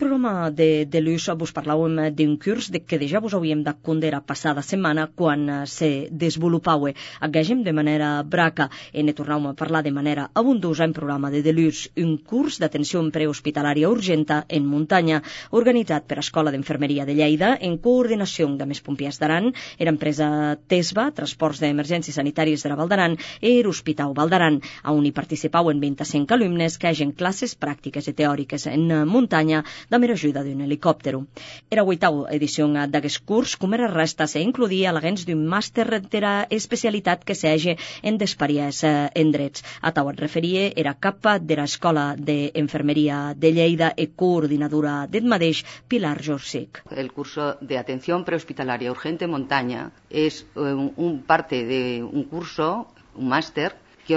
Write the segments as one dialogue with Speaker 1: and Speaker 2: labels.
Speaker 1: programa de l'US vos parlàvem d'un curs que ja vos havíem de condera passada setmana quan se desenvolupava agègem de manera braca e ne tornàvem a parlar de manera abundosa en programa de l'US, un curs d'atenció prehospitalària urgenta en muntanya organitzat per Escola d'Enfermeria de Lleida en coordinació amb més pompiers d'Aran, era empresa TESVA, Transports d'Emergències Sanitàries de la Val d'Aran, i Hospital Val d'Aran, on hi participaven 25 alumnes que hagin classes pràctiques i teòriques en muntanya amb l'ajuda d'un helicòptero. Era l'oitava edició d'aquest curs, com era resta, se incluïa l'agents d'un màster de l'especialitat que s'hagi en d'experiès en drets. A tau et referia, era capa de l'Escola d'Enfermeria de Lleida i coordinadora del mateix, Pilar Jorsic.
Speaker 2: El curso de atención prehospitalaria urgente montaña es parte de un curso, un máster, que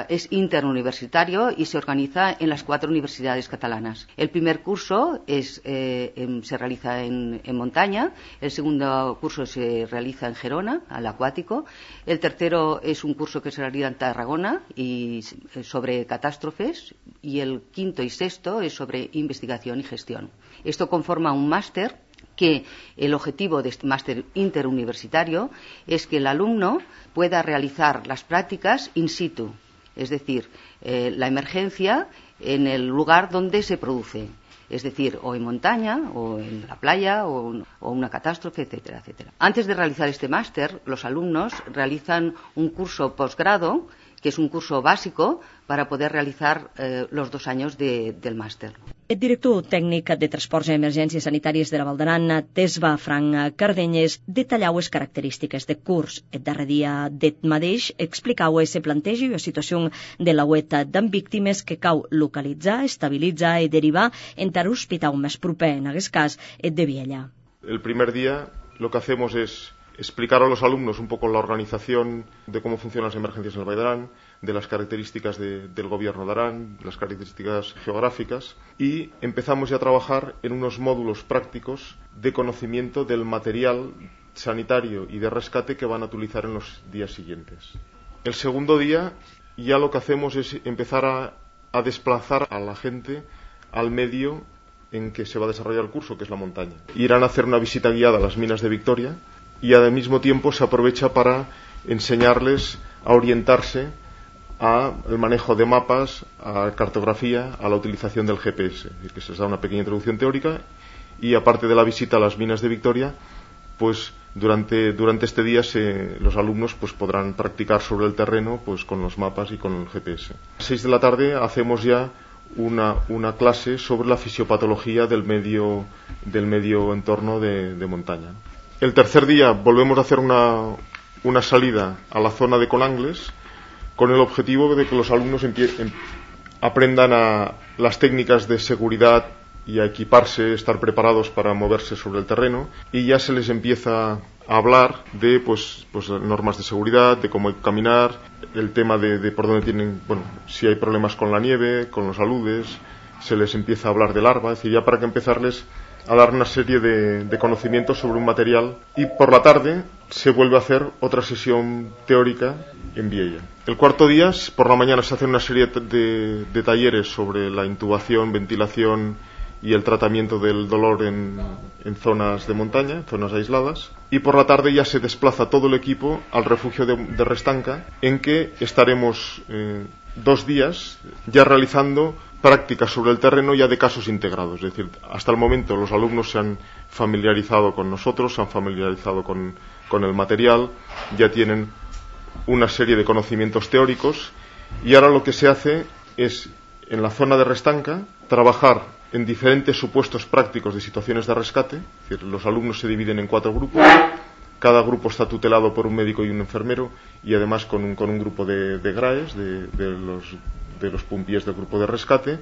Speaker 2: es interuniversitario y se organiza en las 4 universidades catalanas. El primer curso se realiza en montaña, el segundo curso se realiza en Gerona, al acuático, el tercero es un curso que se realiza en Tarragona y sobre catástrofes, y el quinto y sexto es sobre investigación y gestión. Esto conforma un máster que el objetivo de este máster interuniversitario es que el alumno pueda realizar las prácticas in situ, es decir, la emergencia en el lugar donde se produce, es decir, o en montaña, o en la playa, o una catástrofe, etcétera, etcétera. Antes de realizar este máster, los alumnos realizan un curso posgrado, que es un curso básico para poder realizar los 2 años del máster.
Speaker 1: El director tècnic de Transports i Emergències Sanitàries de la Val d'Aran, TESVA, Frank Cardenyes, detallava les característiques del curs. El darrer dia del mateix explicava se planteja la situació de la web d'en víctimes que cal localitzar, estabilitzar i derivar entre l'hospital més proper, en aquest cas, el de Viella.
Speaker 3: El primer día lo que hacemos es explicar a los alumnos un poco la organización de cómo funcionan las emergencias en el Valle de Arán, de las características del gobierno de Arán, las características geográficas, y empezamos ya a trabajar en unos módulos prácticos de conocimiento del material sanitario y de rescate que van a utilizar en los días siguientes. El segundo día ya lo que hacemos es empezar a desplazar a la gente al medio en que se va a desarrollar el curso, que es la montaña. Irán a hacer una visita guiada a las minas de Victoria, y al mismo tiempo se aprovecha para enseñarles a orientarse al manejo de mapas, a cartografía, a la utilización del GPS, es decir, que se les da una pequeña introducción teórica, y aparte de la visita a las minas de Victoria, pues durante este día los alumnos pues podrán practicar sobre el terreno pues con los mapas y con el GPS. A las 6 de la tarde hacemos ya una clase sobre la fisiopatología del medio entorno de montaña. El tercer día volvemos a hacer una salida a la zona de Conangles con el objetivo de que los alumnos aprendan las técnicas de seguridad y a equiparse, estar preparados para moverse sobre el terreno, y ya se les empieza a hablar de pues normas de seguridad, de cómo hay que caminar, el tema de por dónde tienen, si hay problemas con la nieve, con los aludes, se les empieza a hablar de larva, es decir, ya para que empezarles a dar una serie de conocimientos sobre un material, y por la tarde se vuelve a hacer otra sesión teórica en Viella. El cuarto día, por la mañana, se hacen una serie de talleres sobre la intubación, ventilación y el tratamiento del dolor en zonas de montaña, en zonas aisladas, y por la tarde ya se desplaza todo el equipo al refugio de Restanca, en que estaremos 2 días ya realizando prácticas sobre el terreno ya de casos integrados. Es decir, hasta el momento los alumnos se han familiarizado con nosotros, se han familiarizado con el material, ya tienen una serie de conocimientos teóricos, y ahora lo que se hace es, en la zona de Restanca, trabajar en diferentes supuestos prácticos de situaciones de rescate. Es decir, los alumnos se dividen en 4 grupos, cada grupo está tutelado por un médico y un enfermero, y además con un grupo de GRAES, de los pompiers del grupo de rescate.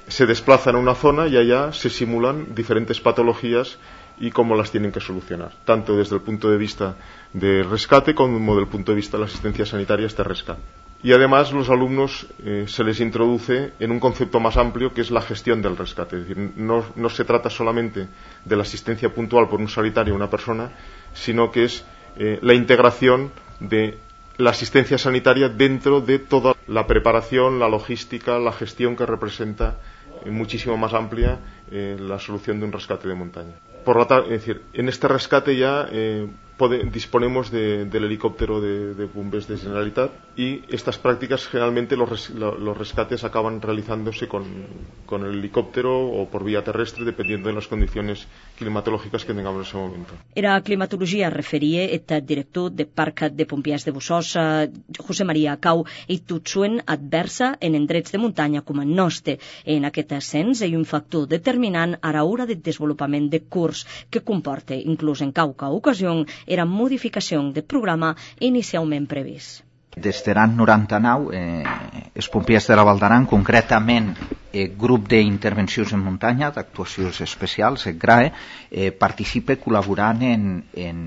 Speaker 3: Se desplazan a una zona y allá se simulan diferentes patologías y cómo las tienen que solucionar, tanto desde el punto de vista de rescate como desde el punto de vista de la asistencia sanitaria este rescate. Y además los alumnos se les introduce en un concepto más amplio, que es la gestión del rescate. Es decir, no se trata solamente de la asistencia puntual por un sanitario a una persona, sino que es la integración de la asistencia sanitaria dentro de toda la preparación, la logística, la gestión que representa muchísimo más amplia la solución de un rescate de montaña. Por lo tanto, es decir, en este rescate ya disponemos del helicóptero de bombers de Generalitat, y estas prácticas generalmente los rescates acaban realizándose con el helicóptero o por vía terrestre, dependiendo de las condiciones climatológicas que tengamos en ese momento.
Speaker 1: Era climatologia referia el director de Parc de Pompiers de Bussos, José María Cau, i tot suen adversa en indrets de muntanya com el nostre. En aquest ascens hi ha un factor determinant a l'hora del desenvolupament de curs que comporta, inclús en qualque ocasió, era modificació del programa inicialment previst.
Speaker 4: Des de l'any 99, els pompiers de la Val d'Aran, concretament el grup d'intervencions en muntanya, d'actuacions especials, el GRAE, participa col·laborant en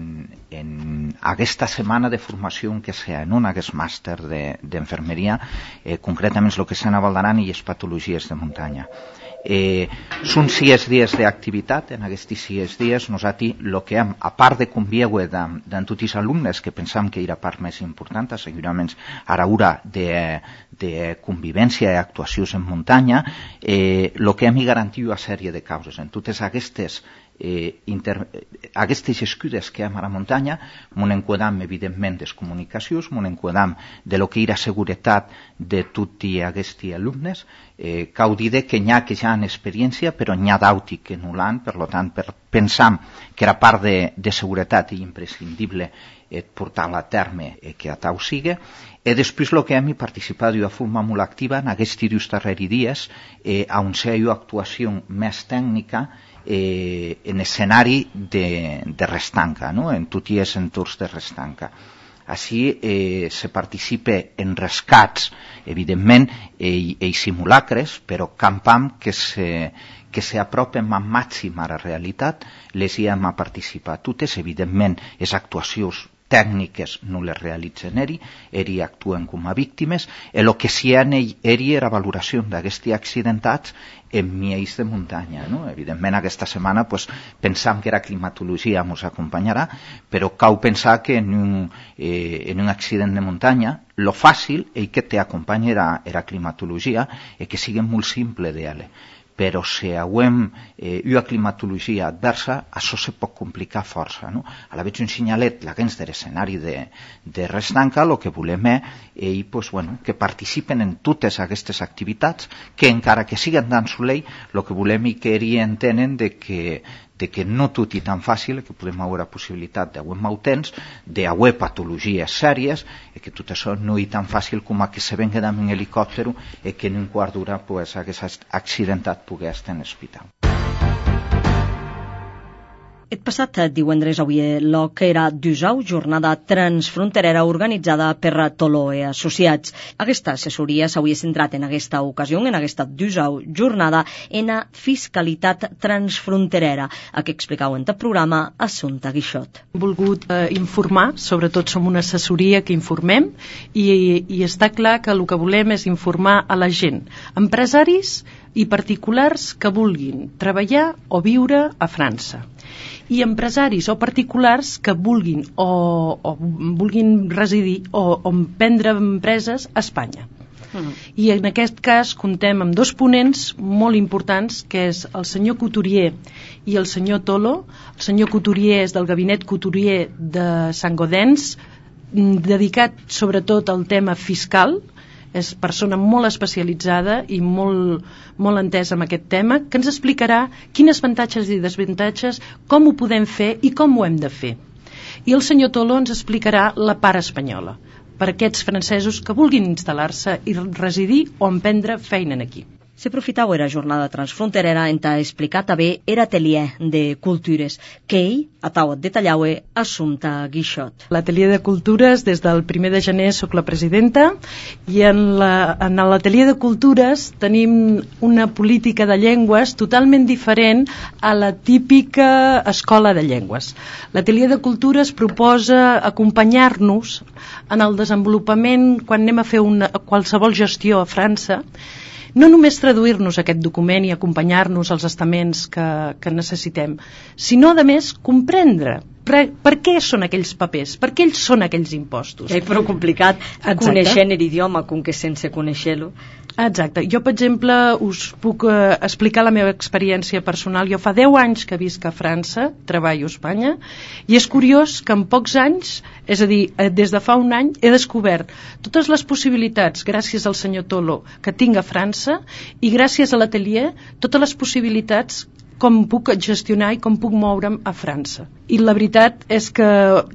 Speaker 4: aquesta setmana de formació que s'ha en un aquest màster d'enfermeria, concretament el que s'ha a Val d'Aran i les patologies de muntanya. Són 6 dies d'activitat. En aquests 6 dies nosaltres el que hem, a part de conviure amb tots els alumnes, que pensam que era part més important, segurament a l'hora de convivència i actuacions en muntanya, el que hem garantit una sèrie de causes. En totes aquestes escudes que hi ha a la muntanya, m'ho enquadram evidentment des comunicacions, m'ho enquadram de lo que era seguretat de tots aquests alumnes. Cal dir que n'hi ha que ja han experiència, però n'hi ha d'altres que no l'han, per tant pensam que era part de seguretat i imprescindible portar-la a terme que a tal sigui. I després el que hem participat d'una forma molt activa en aquests darrers dies on s'ha una actuació més tècnica en escenari de restanca, no? En tots els entorns de restanca. Així se participa en rescats, evidentment, i simulacres, però campam que s'apropen al màxim a la realitat, les hi hem a participar totes. Evidentment, les actuacions tècniques no les realitzen eri actuen com a víctimes, i el que s'hi ha era valoració d'aquests accidentats en miells de muntanya. Evidentment, aquesta setmana pensam que la climatologia ens acompanyarà, però cal pensar que en un accident de muntanya lo fàcil és que t'acompanya la climatologia i que sigui molt simple d'ella. Però si hauem una climatologia adversa, això se pot complicar força. A la vegada un senyalet dins de l'escenari de restanca, el que volem és que participen en totes aquestes activitats, que encara que siguen dan soleil, el que volem és que ells entenen que no tot és tan fàcil, que podem haver la possibilitat d'haver mal temps, d'haver patologies sèries, i que tot això no és tan fàcil com que se venga amb un helicòpter i que en un quart d'hora aquest accidentat pugui estar en l'hospital.
Speaker 1: El passat divendres avui l'OC era d'USAU, jornada transfronterera organitzada per Toloe Associats. Aquesta assessoria s'havia centrat en aquesta ocasió, en aquesta d'USAU jornada, en la fiscalitat transfronterera, a què explicau en el programa Assumpta Guixot.
Speaker 5: Hem volgut informar, sobretot som una assessoria que informem, i està clar que el que volem és informar a la gent, empresaris i particulars que vulguin treballar o viure a França, i empresaris o particulars que vulguin o vulguin residir o prendre empreses a Espanya. I en aquest cas comptem amb 2 ponents molt importants, que és el senyor Couturier i el senyor Tolo. El senyor Couturier és del gabinet Couturier de Sant-Gaudens, dedicat sobretot al tema fiscal. És persona molt especialitzada i molt entesa en aquest tema, que ens explicarà quines avantatges i desavantatges, com ho podem fer i com ho hem de fer. I el senyor Tolo ens explicarà la part espanyola, per aquests francesos que vulguin instal·lar-se i residir o emprendre feina aquí.
Speaker 1: S'aprofitau era jornada transfronterera en explicar també era atelier de cultures, que ell atau detallaue Assumpta Guixot.
Speaker 5: L'atelier de cultures, des del 1 de gener soc la presidenta, i en l'atelier de cultures tenim una política de llengües totalment diferent a la típica escola de llengües. L'atelier de cultures proposa acompanyar-nos en el desenvolupament quan anem a fer qualsevol gestió a França, no només traduir-nos aquest document i acompanyar-nos als estaments que necessitem, sinó, a més, comprendre per què són aquells papers? Per què ells són aquells impostos?
Speaker 1: És prou complicat coneixent l'idioma com que sense conèixer-lo.
Speaker 5: Exacte. Jo, per exemple, us puc explicar la meva experiència personal. Jo fa 10 anys que visc a França, treballo a Espanya, i és curiós que en pocs anys, és a dir, des de fa un any, he descobert totes les possibilitats, gràcies al senyor Tolo, que tinc a França, i gràcies a l'atelier, totes les possibilitats com puc gestionar i com puc moure'm a França. I la veritat és que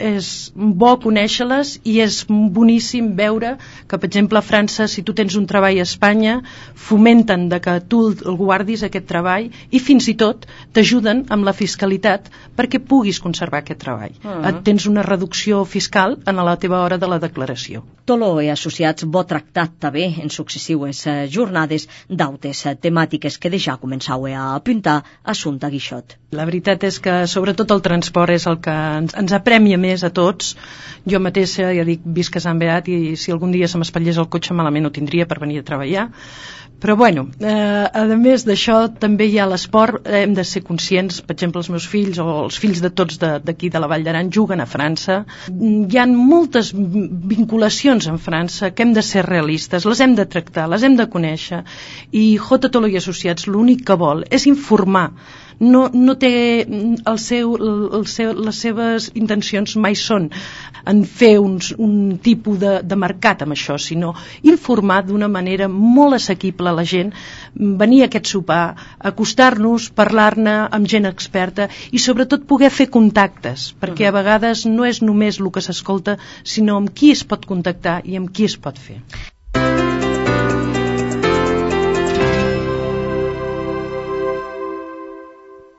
Speaker 5: és bo conèixer-les i és boníssim veure que, per exemple, a França, si tu tens un treball a Espanya, fomenten de que tu el guardis, aquest treball, i fins i tot t'ajuden amb la fiscalitat perquè puguis conservar aquest treball. Tens una reducció fiscal en la teva hora de la declaració.
Speaker 1: Tolo i associats bo tractat també en successives jornades d'autes temàtiques que ja començau a apuntar Assumpta Guixot.
Speaker 5: La veritat és que sobretot el transport és el que ens apremia més a tots. Jo mateixa, ja dic, visc a Sant Beat i si algun dia se m'espatllés el cotxe malament ho tindria per venir a treballar. Però bueno, a més d'això també hi ha l'esport, hem de ser conscients, per exemple els meus fills o els fills de tots d'aquí de la Vall d'Aran juguen a França, hi ha moltes vinculacions en França que hem de ser realistes, les hem de tractar, les hem de conèixer, i J. Tolo i Associats l'únic que vol és informar. No té les seves intencions mai són en fer un tipus de mercat amb això, sinó informar d'una manera molt assequible a la gent, venir a aquest sopar, acostar-nos, parlar-ne amb gent experta i sobretot poder fer contactes, perquè a vegades no és només el que s'escolta, sinó amb qui es pot contactar i amb qui es pot fer.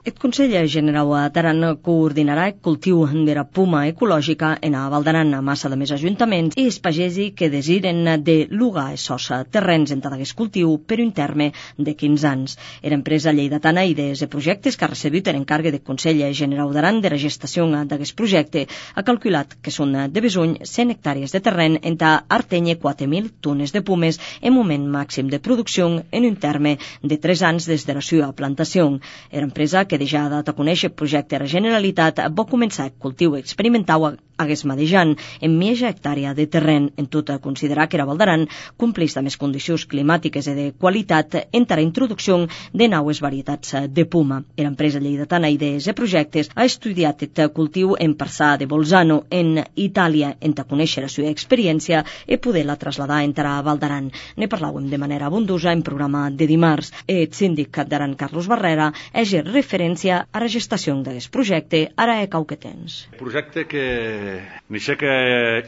Speaker 1: El Consell Generau d'Aran coordinarà el cultiu de la puma ecològica en a Val d'Aran a massa de més ajuntaments i els pagesi que desiren de lugar esos terrenys en aquest cultiu per un terme de 15 anys. L'empresa lleidatana Idees i Projectes que ha recebut l'encàrrec del Consell Generau d'Aran de la gestació d'aquest projecte ha calculat que són de besuny 100 hectàrees de terreny entre Arteny 4.000 tones de pumes en moment màxim de producció en un terme de 3 anys des de la seva plantació. L'empresa que ja ha dat a conèixer el projecte de la Generalitat va començar el cultiu experimental hagués mateix en mitja hectàrea de terreny, en tot a considerar que la Val d'Aran complís amb les condicions climàtiques i de qualitat entre la introducció de noves varietats de puma. L'empresa lleidatana Idees i Projectes ha estudiat el cultiu en Parsà de Bolzano, en Itàlia, en a conèixer la seva experiència i poder-la traslladar entre la Val d'Aran. Ne parlàvem de manera abundosa en programa de dimarts. El síndic d'Aran, Carlos Barrera, és referència a la gestació d'aquest projecte, ara cau que tens.
Speaker 6: Projecte que n'hi que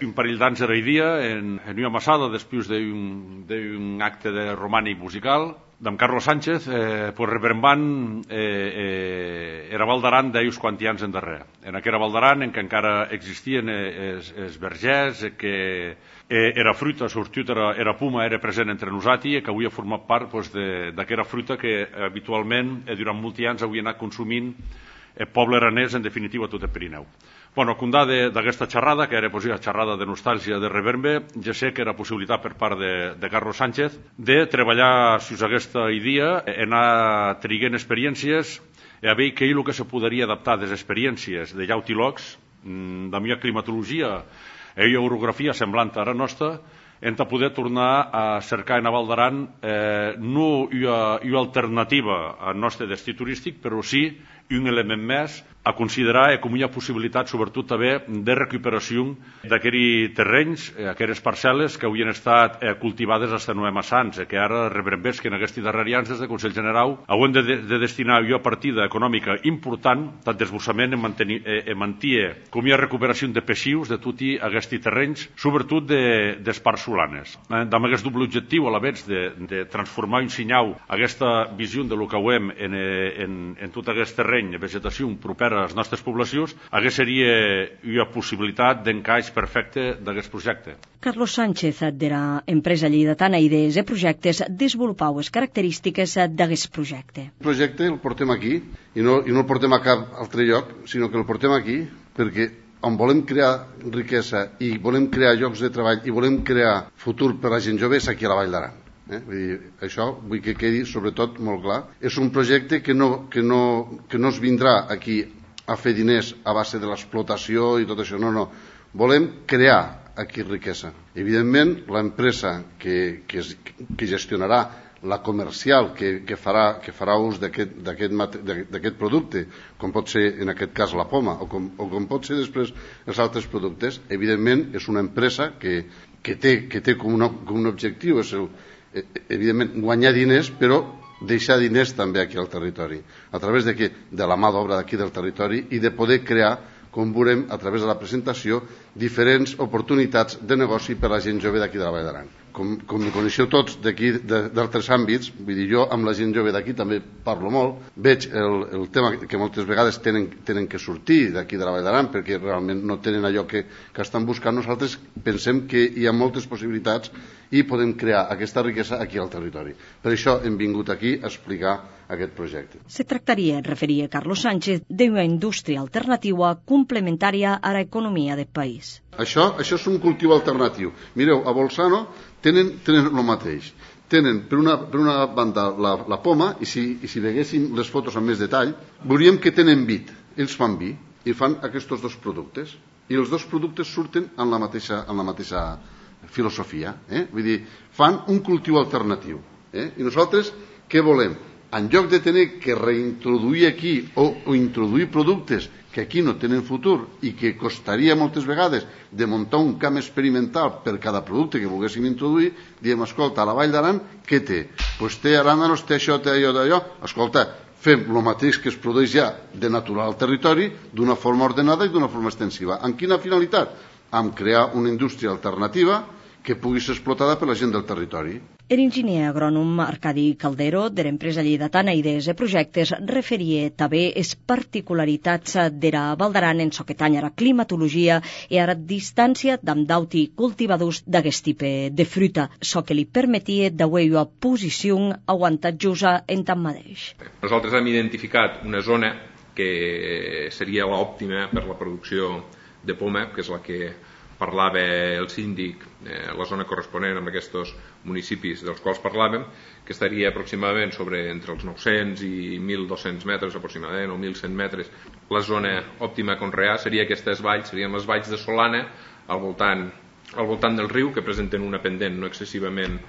Speaker 6: un parell d'anys era dia en una massada després d'un acte de romànic musical d'en Carlos Sánchez, pues rebrembant era Val d'Aran d'ells quants anys endarrere. En aquella Val d'Aran en què encara existien els vergers, que era fruita, sortit era puma, era present entre nosaltres, que avui ha format part d'aquella fruita que habitualment durant molts anys havia anat consumint el poble aranès, en definitiva tot el Pirineu. Bueno, condà d'aquesta xerrada, que era una xerrada de nostàlgia de reverbe, ja sé que era possibilitat per part de Carlos Sánchez de treballar sus aquesta idea, anar triguent experiències i a veure què és el que se podria adaptar de les experiències de llautilocs, de la meva climatologia i orografia semblant a la nostra, hem de poder tornar a cercar en Val d'Aran no una alternativa al nostre destí turístic, però sí un element més a considerar com una possibilitat, sobretot també, de recuperació d'aquells terrenys, aquelles parcel·les que havien estat cultivades fins a massa anys, que ara rebrembés que en aquests darrers anys des del Consell General haurem de destinar una partida econòmica important, tant d'esbossament en mantenir com una recuperació de peixius de tots aquests terrenys, sobretot dels parts solanes. Amb aquest doble objectiu, a la vegada de transformar i ensenyar aquesta visió de lo que veiem en tot aquest terreny, vegetació propera a les nostres poblacions, aquesta seria una possibilitat d'encaix perfecte d'aquest projecte.
Speaker 1: Carlos Sánchez, de l'empresa lleidatana Idees i Projectes, desenvolupau les característiques d'aquest projecte.
Speaker 7: El projecte el portem aquí, i no el portem a cap altre lloc, sinó que el portem aquí perquè on volem crear riquesa i volem crear llocs de treball i volem crear futur per a la gent jove és aquí a la Vall d'Aran. Vull dir, això vull que quedi sobretot molt clar. És un projecte que no es vindrà aquí a fer diners a base de l'explotació i tot això. No. Volem crear aquí riquesa. Evidentment, l'empresa que gestionarà la comercial que farà ús d'aquest producte, com pot ser en aquest cas la poma o com pot ser després els altres productes, evidentment és una empresa que té com un objectiu, és evidentment guanyar diners, però deixar diners també aquí al territori, a través de la mà d'obra d'aquí del territori i de poder crear, com veurem a través de la presentació, diferents oportunitats de negoci per a la gent jove d'aquí de la Vall d'Aran. Com hi coneixeu tots d'aquí d'altres àmbits, vull dir, jo amb la gent jove d'aquí també parlo molt, veig el tema que moltes vegades tenen que sortir d'aquí de la Vall d'Aran perquè realment no tenen allò que estan buscant. Nosaltres pensem que hi ha moltes possibilitats i podem crear aquesta riquesa aquí al territori. Per això hem vingut aquí a explicar aquest projecte.
Speaker 1: Se tractaria, referia Carlos Sánchez, d'una indústria alternativa complementària a l'economia del país.
Speaker 7: Això és un cultiu alternatiu. Mireu, a Bolzano tenen el mateix. Tenen per una banda la poma i si veiéssim les fotos amb més detall veuríem que tenen vid. Ells fan vi i fan aquests dos productes i els dos productes surten en la mateixa filosofia. Vull dir, fan un cultiu alternatiu. I nosaltres què volem? En lloc de tenir que reintroduir aquí o introduir productes que aquí no tenen futur i que costaria moltes vegades de muntar un camp experimental per cada producte que volguéssim introduir, diem, escolta, a la Vall d'Aran què té? Doncs té aràndanos, té això, té allò, d'allò. Escolta, fem el mateix que es produeix ja de natural al territori d'una forma ordenada i d'una forma extensiva. Amb quina finalitat? Amb crear una indústria alternativa que pugui ser explotada per la gent del territori.
Speaker 1: L'enginyer agrònom Arcadi Caldero, de l'empresa lleidatana Idees i Projectes, referia també les particularitats de la Val d'Aran en ce que tanya la climatologia i a la distància d'amb d'auti cultivadors d'aquest tipus de fruita, ce que li permetia d'avui una posició avantatjosa en tant mateix.
Speaker 8: Nosaltres hem identificat una zona que seria l'òptima per la producció de poma, que és la que parlava el síndic, la zona corresponent amb aquests municipis dels quals parlàvem, que estaria aproximadament entre els 900 i 1.200 metres aproximadament, o 1.100 metres. La zona òptima a conrear serien aquestes valls, serien les valls de Solana, al voltant del riu, que presenten una pendent no excessivament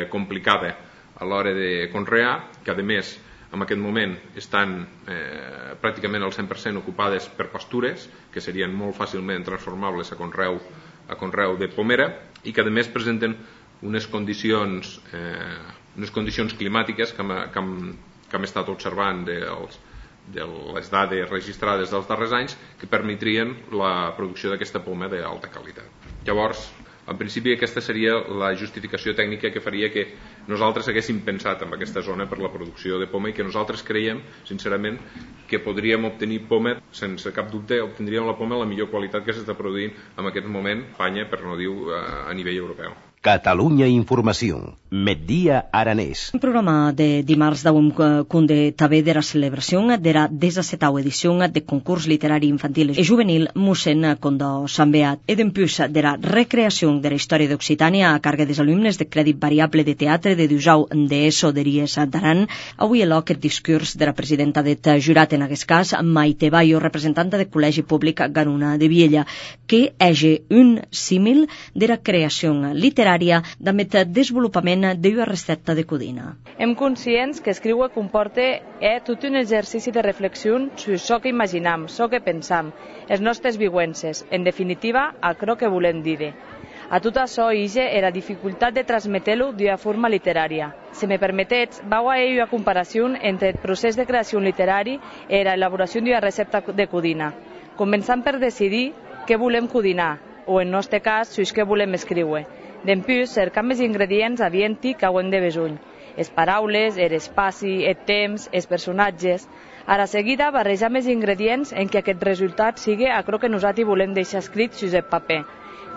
Speaker 8: complicada a l'hora de conrear, que a més en aquest moment estan pràcticament al 100% ocupades per pastures, que serien molt fàcilment transformables a conreu de pomera, i que a més presenten unes condicions climàtiques que hem estat observant de les dades registrades dels darrers anys, que permetrien la producció d'aquesta poma d'alta qualitat. Llavors, en principi aquesta seria la justificació tècnica que faria que nosaltres haguéssim pensat en aquesta zona per la producció de poma i que nosaltres creiem, sincerament, que podríem obtenir poma, sense cap dubte, obtindríem la poma la millor qualitat que s'està produint en aquest moment a Espanya, per no dir a nivell europeu.
Speaker 9: Catalunya Informació, Migdia Aranès.
Speaker 1: Un programa de dimarts d'avui conde també de la celebració de la 17ª edició de concurs literari infantil i juvenil Mossèn Condó Sant Beat i d'empús de la recreació de la història d'Occitània a càrrec dels alumnes de crèdit variable de teatre de Dusau d'ESO de Ries d'Aran. Avui eloc el discurs de la presidenta del jurat, en aquest cas Maite Bayo, representanta del Col·legi Públic Garuna de Viella, que hagi un símil de la creació literària d'amb el desenvolupament d'una recepta de codina.
Speaker 10: Hem conscients que escriure comporta tot un exercici de reflexió sobre això que imaginam, això que pensam, les nostres vivències, en definitiva, el que volem dir. A tot això ige la dificultat de transmetre-ho d'una forma literària. Si me permetets, vau a una comparació entre el procés de creació literari i l'elaboració d'una recepta de codina. Començant per decidir què volem codinar, o en nostre cas, si és què volem escriure. D'empús, cercar més ingredients adienti que ho hem de besuny. Les paraules, l'espai, el temps, els personatges. A la seguida, barrejar més ingredients en què aquest resultat sigui allò que nosaltres volem deixar escrit sobre el paper.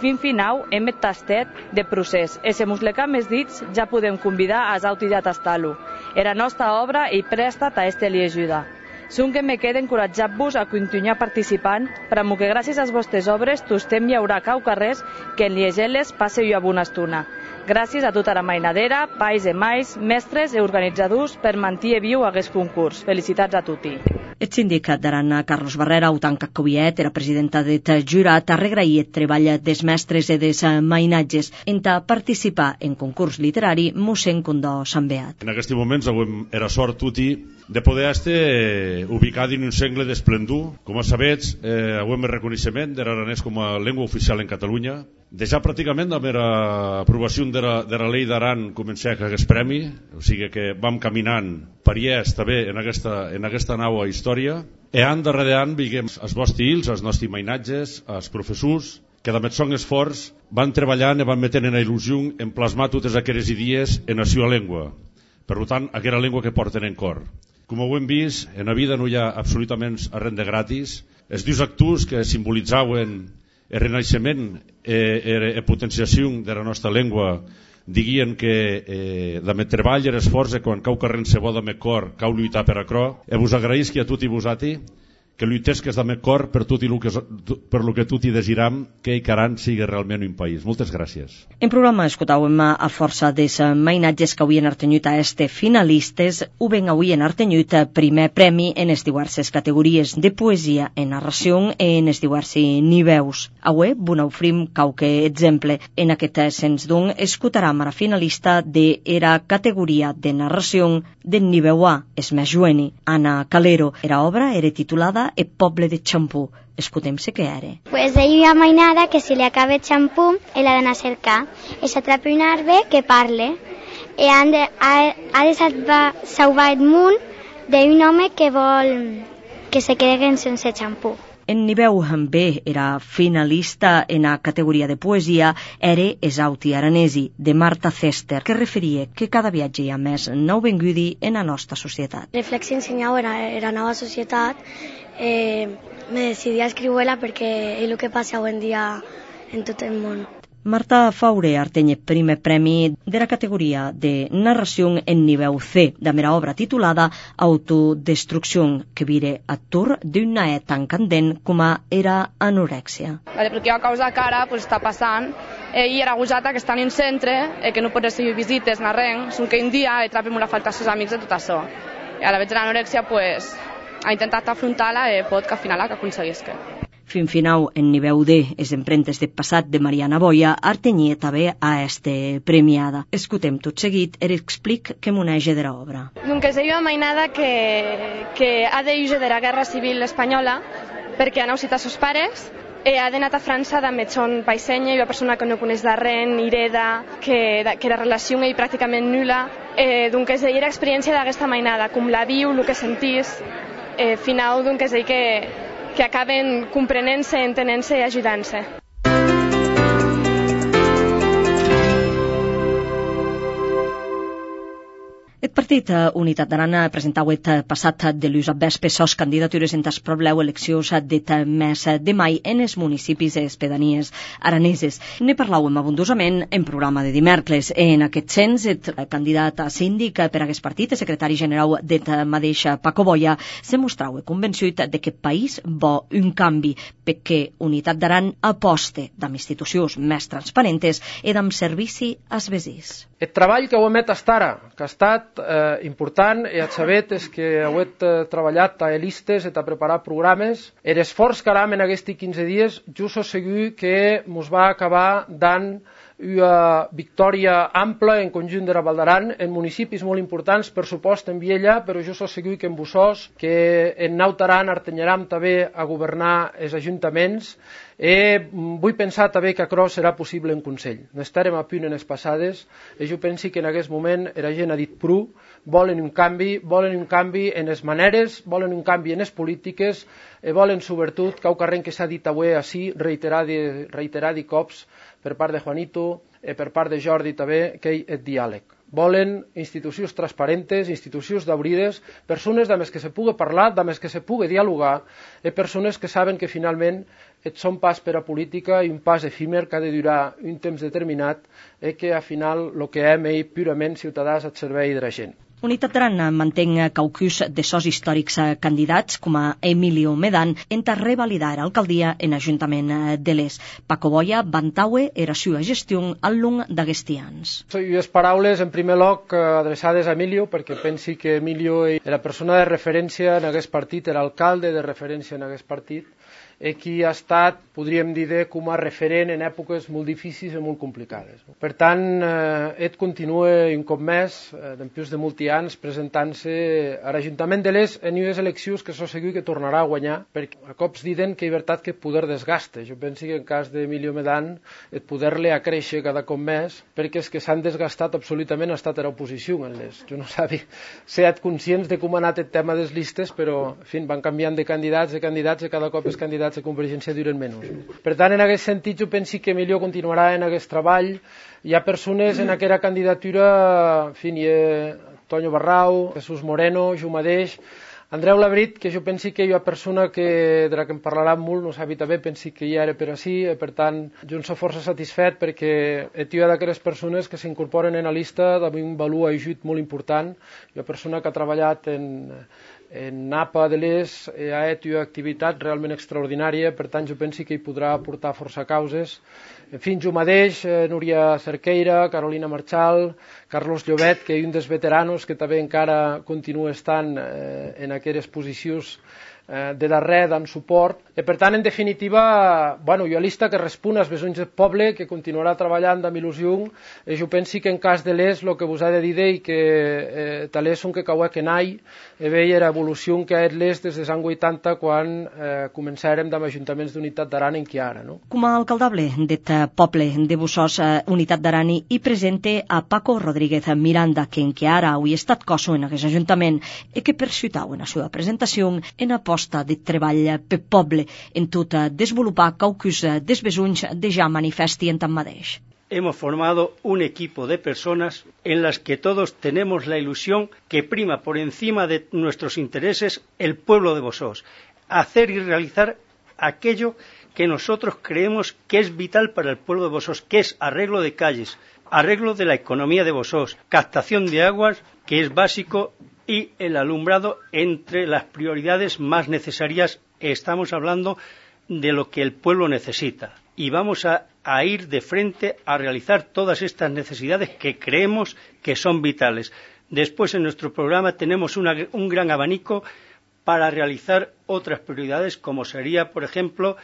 Speaker 10: Fin final, hem tastat de procés. I si mos lecam els dits, ja podem convidar als autis a tastar-lo. La nostra obra hi presta a este li ajuda. Són que me queda encoratjat-vos a continuar participant, per que gràcies a les vostres obres tostem hi haurà cau carrers que en llegir-les passe una bona estona. Gràcies a tota la mainadera, pais e mais, mestres e organitzadors per mantenir viu aquest concurs. Felicitats a tutti.
Speaker 1: El síndic d'Aran, Carlos Barrera, autant que Coviet, era presidenta del jurat, ha regraït el treball dels mestres i dels mainatges en participar en concurs literari mossèn Condó Sant Beat.
Speaker 6: En aquests moments era sort tutti de poder estar ubicat en un segle d'esplendor. Com sabets, avui reconeixement de l'aranès com a llengua oficial en Catalunya. Déjà pràcticament amb l'aprovació de la llei d'Aran començà aquest premi, o sigui que vam caminant pariès també en aquesta nova història. I any darrere any veiem els vostres fills, els nostres mainatges, els professors, que amb el son esforç van treballant i van metent en la il·lusió en plasmar totes aquelles idees en la seva llengua. Per tant, aquella llengua que porten en cor. Com ho hem vist, en la vida no hi ha absolutament res de gratis. Els dos actors que simbolitzaven el renaixement i potenciació de la nostra llengua diguien que amb el treball i l'esforç quan cau carrent se bo amb el cor cau lluitar per acrò. I vos agraïsc a tutti vosati que lluitesques amb el cor per lo que tutti desiram que Aran sigui realment un país. Moltes gràcies.
Speaker 1: En programa escoltàvem a força dels mainatges que avui han artenyut a este finalistes, ho ben avui han artenyut primer premi en les diverses categories de poesia, en narració i en els diversos niveus. Avui vos n'ofrim qualque exemple. En aquest sens doncs escoltarem a la finalista de la categoria de narració del nivell A, és més jueni, Ana Calero. La obra era titulada El poble de Xampú. Escoltem-se què era.
Speaker 11: Pues deia una mainada que si li acaba el xampú l'ha d'anar a cercar i s'atrapa un arbre que parle i ha de salvar el món d'un home que vol que se quedin sense xampú.
Speaker 1: En nivell B era finalista en la categoria de poesia era Esauti Aranesi, de Marta Cester, que referia que cada viatge hi ha més nou vengudi en la nostra societat.
Speaker 12: Reflexionar en la nova societat, me decidí a escriure-la perquè és el que passa avui en dia en tot el món.
Speaker 1: Marta Faure arteny el primer premi de la categoria de narració en nivell C, de la obra titulada Autodestrucció, que vire atur d'una tan candent com era anorèxia.
Speaker 13: Perquè a causa que ara està passant, i era gosata que estan en centre, que no pot recibir visites, ni res, que un dia trobem una falta als seus amics de tot això. I a la vegada de l'anorèxia ha intentat afrontar-la i pot que al final que aconseguisca.
Speaker 1: Fin final, en nivell D, les empremtes de passat de Mariana Boia, artenyia també a este premiada. Escoltem tot seguit l'explic que m'unege de l'obra.
Speaker 14: Donc és una mainada que ha d'huir de la guerra civil espanyola perquè ha anat a sos pares i ha d'anar a França amb son paisenya i una persona que no coneix de res, ni hereda, que la relació és pràcticament nul·la. Donc és l'experiència d'aquesta mainada, com la viu, el que sentís. Final, donc és que acaben comprenent-se, entenent-se i ajudant-se.
Speaker 1: El partit Unitat d'Aran presentava el passat de l'ús a vespre sos candidatures en tas probleu eleccions del mes de mai en els municipis i les pedanies araneses. Ne parlàvem abundosament en programa de dimecres. En aquest sens, el candidat a síndic per a aquest partit, el secretari general del mateix Paco Boia, se mostrava convençut de que el país vol un canvi perquè Unitat d'Aran aposte amb institucions més transparentes i amb servici als veïns.
Speaker 15: El treball que ho hem fet fins ara, que ha estat important i el sabet és que heu treballat a listes i a preparar programes. L'esforç que aram en aquests 15 dies, jo soc segur que ens va acabar dant una victòria ampla en conjunt de la Val d'Aran, en municipis molt importants, per supost en Viella, però jo soc segur que en Bussós, que en Nautaran artenyaram també a governar els ajuntaments. Vull pensar també que això serà possible en Consell. N'estarem a punt en les passades i jo penso que en aquest moment la gent ha dit prou, volen un canvi en les maneres, volen un canvi en les polítiques, volen sobretot, que s'ha dit avui així, reiterar cops per part de Juanito i per part de Jordi també, que hi ha diàleg. Volen institucions transparentes, institucions d'obrides, persones amb les que se pugui parlar, amb les que se pugui dialogar, i persones que saben que finalment són pas per a política i un pas efímer que ha de durar un temps determinat i que al final el que hem és purament ciutadans al servei de la gent.
Speaker 1: Unitat d'Aran mantenc caucus de sos històrics candidats com a Emilio Medan enta revalidar alcaldia en Ajuntament de l'Es. Paco Boya vantaue era sua gestió al long d'aguesti anys.
Speaker 15: Les paraules, en primer lloc, adreçades a Emilio, perquè pensi que Emilio era persona de referència en aquest partit, era alcalde de referència en aquest partit, i qui ha estat, podríem dir, com a referent en èpoques molt difícils i molt complicades. Per tant, ell continua un cop més, després de molts anys, presentant-se a l'Ajuntament de l'Es en unes eleccions que s'ho segur que tornarà a guanyar, perquè a cops diuen que hi veritat que el poder desgasta. Jo penso que en cas d'Emilio Medan el poder li ha créixer cada cop més, perquè els que s'han desgastat absolutament ha estat a l'oposició en l'Es. Jo no sabia ser conscients de com ha anat el tema de les llistes, però en fi, van canviant de candidats i cada cop els candidats de Convergència duren menys. Per tant, en aquest sentit, jo penso que Emilio continuarà en aquest treball. Hi ha persones en aquella candidatura, en fi, hi ha Toño Barrau, Jesús Moreno, jo mateix, Andreu Labrit, que jo penso que hi ha persona de la que em parlarà molt, no sabia bé, penso que ja era per així, per tant, jo em soc força satisfet perquè hi ha d'aquelles persones que s'incorporen en la llista amb un valor ajut molt important. Hi ha persona que ha treballat en Napa de l'Es, ha fet una activitat realment extraordinària, per tant jo penso que hi podrà aportar força causes. En fi, jo mateix, Núria Cerqueira, Carolina Marchal, Carlos Llobet, que és un dels veteranos que també encara continua estant en aquelles posicions de darrer dant suport. I per tant, en definitiva, bueno, hi ha llista que respon als besonys del poble, que continuarà treballant amb il·lusió, i jo penso que en cas de l'Es, el que vos ha de dir i que talés són que cauà que nai, i veia l'evolució que ha l'Es des dels anys 80, quan començàrem amb ajuntaments d'Unitat d'Aran en qui ara. No?
Speaker 1: Com a alcaldable d'aquest poble de Bussós, Unitat d'Aran, i presente a Paco Rodríguez Miranda, que en qui ara avui ha estat coso en aquest ajuntament, i que perciutau en la seva presentació en aposta de treball per poble en tot desenvolupar caucus dels besonys de ja manifesti en tant mateix.
Speaker 16: Hemos formado un equipo de personas en las que todos tenemos la ilusión que prima por encima de nuestros intereses el pueblo de Bussós, hacer y realizar aquello que nosotros creemos que es vital para el pueblo de Bussós, que es arreglo de calles, arreglo de la economía de Bussós, captación de aguas, que es básico, y el alumbrado entre las prioridades más necesarias. Estamos hablando de lo que el pueblo necesita y vamos a ir de frente a realizar todas estas necesidades que creemos que son vitales. Después, en nuestro programa tenemos un gran abanico para realizar otras prioridades, como sería, por ejemplo,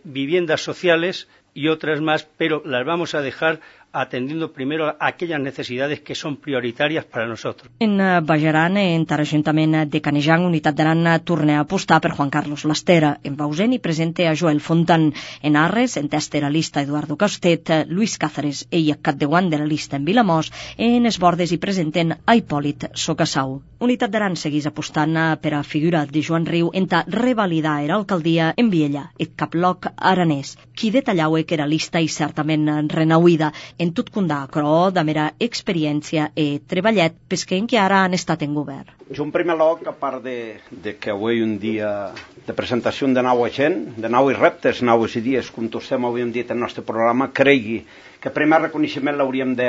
Speaker 16: viviendas sociales y otras más, pero las vamos a dejar atendiendo primero a aquellas necesidades que son prioritarias para nosotros.
Speaker 1: En Bajaran, en l'Ajuntament de Canejan, Unitat d'Aran torna a apostar per Juan Carlos Lastera. En Bausen i presente a Joel Fontan. En Arres, en testa la lista Eduardo Castet, Luis Cáceres i Capdeuan de la lista en Vilamós. En Esbordes i presenten a Hipòlit Socassau. Unitat d'Aran seguís apostant per a figura de Joan Riu en ta revalidar era alcaldia en Viella, et caploc aranès, qui detallaue que era lista i certament renauïda en tot condà, però de mera experiència i treballet, pes que en què ara han estat en govern.
Speaker 17: Jo, en primer lloc, a part de que avui un dia de presentació de nova gent, de nous reptes, nous idees, com tots avui hem dit en el nostre programa, cregui que el primer reconeixement l'hauríem de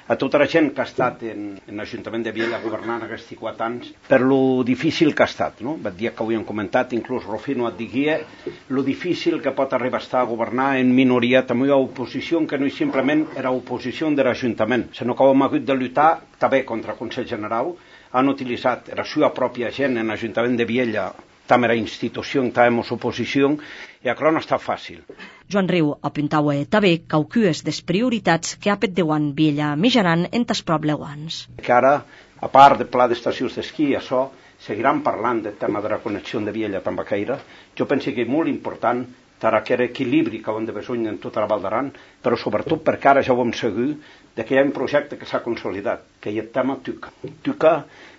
Speaker 17: a tota la gent que ha estat en l'Ajuntament de Viella governant aquests 4 anys per lo difícil que ha estat, no? El dia que avui hem comentat, inclús Rufino et diguia lo difícil que pot arribar a estar a governar en minoria, també a oposició, que no simplement era oposició de l'Ajuntament, sinó que hem hagut de lluitar també contra el Consell General, han utilitzat la seva pròpia gent en l'Ajuntament de Viella, també era institució en tàvem oposició, i això no està fàcil.
Speaker 1: Joan Riu apuntaua també caucues des prioritats que ha petdeuan Viella mijaran en tas probleuans.
Speaker 17: Que ara, a part del pla d'estacions d'esquí, això, seguiran parlant del tema de la connexió de Viella amb Baqueira. Jo penso que és molt important aquest equilibri que hem de besonys en tota la Val d'Aran, però sobretot perquè ara ja ho hem segur que hi ha un projecte que s'ha consolidat, que és el tema TUCA. TUCA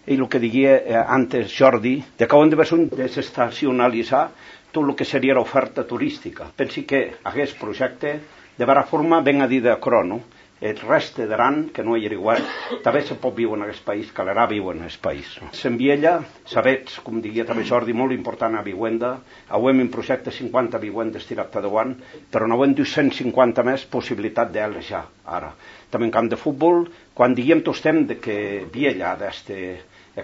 Speaker 17: és el que diguia antes Jordi, que hem de besonys desestacionalitzar tot el que seria l'oferta turística. Penso que aquest projecte de vera forma ben a dir de crono, el reste d'Aran, que no hi era igual, també se pot viure en aquest país, calerà viure en aquest país. Se'n Viella, sabets, com diria també Jordi, molt important a Viuenda, avui en projecte 50 vivendes tirat a davant, però no hem 250 més possibilitat d'elles ja, ara. També en camp de futbol, quan diguem tots temps que Viella ha d'este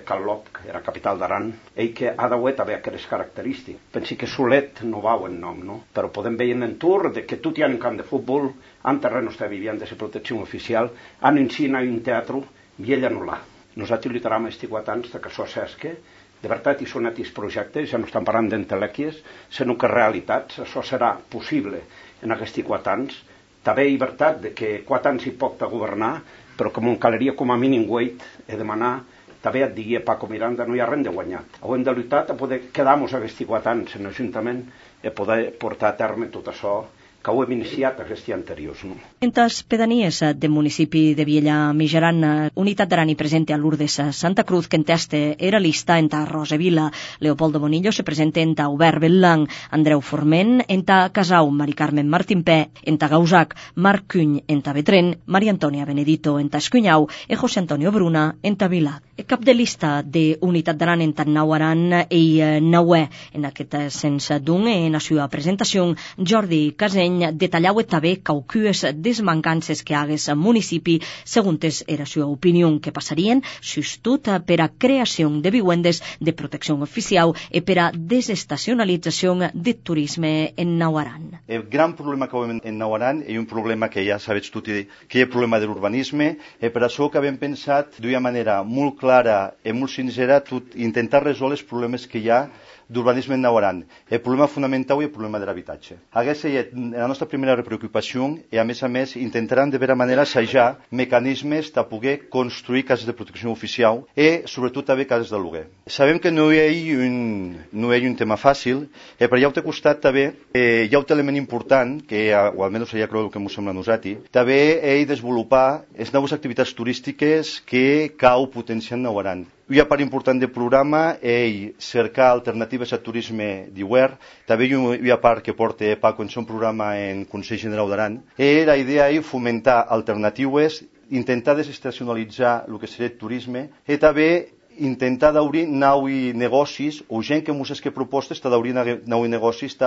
Speaker 17: Calop, que era capital d'Aran, ell que ha d'haver també aquestes característiques. Pensi que Solet no va en nom, no? Però podem veure en Tour que tot hi ha un camp de futbol, en terrenos de viviendas de protecció oficial, en encina un teatre, Viella no l'ha. Nosaltres lluitarem aquests 4 anys que això s'esque, de veritat hi són aquests projectes, ja no estan parlant d'entelèquies, sinó que realitats, això serà possible en aquests 4 anys. També hi veritat que 4 anys hi pot governar, però com en caleria com a mínim wait, he demanat també et digui Paco Miranda, no hi ha res de guanyat. Hem de lluitar a poder quedar-nos aquests 4 anys en l'Ajuntament i poder portar a terme tot això que ho hem iniciat aquests anteriors. No?
Speaker 1: En les pedanies del municipi de Viella-Mijaran, Unitat d'Aran hi presenta a Lourdes Santa Cruz, que en teste era lista en ta Rosevila, Leopoldo Bonillo se presenta en ta Obert Bellang, Andreu Forment en ta Casau, Mari Carmen Martimpé en ta Gausac, Marc Cuny en ta Betren, Maria Antònia Benedito en ta Escunyau e José Antonio Bruna en ta Vila. El cap de lista de Unitat d'Aran en ta Nauaran i Nauè en aquest sens d'un en la seva presentació, Jordi Caseny detallau també quauques desmancances que hagués al municipi segons era seva opinió que passarien justut per a creació de vivendes de protecció oficial i per a desestacionalització de turisme en Nauaran.
Speaker 18: El gran problema que veiem en Nauaran és un problema que ja sabeu tot, que hi ha problema de l'urbanisme, i per això que hem pensat d'una manera molt clara i molt sincera intentar resoldre els problemes que hi ha d'urbanisme en Nauaran. El problema fonamental és el problema de l'habitatge. Aquesta és la nostra primera preocupació i, a més, intentarem de veure manera assajar mecanismes de poder construir cases de protecció oficial i, sobretot, també cases de lloguer. Sabem que no és un tema fàcil, però ja ho té costat també, hi ha un element important, que, o almenys ja creu que ens sembla a nosaltres, també és desenvolupar les noves activitats turístiques que cal potenciar en Nauaran. Una part important del programa és cercar alternatives al turisme d'hivern. També hi ha una part que porta Paco en un programa en Consell General d'Aran. I la idea és fomentar alternatives, intentar desestacionalitzar el que seria el turisme i també intentar d'obrir nous negocis o gent que ens que propostes d'obrir nous negocis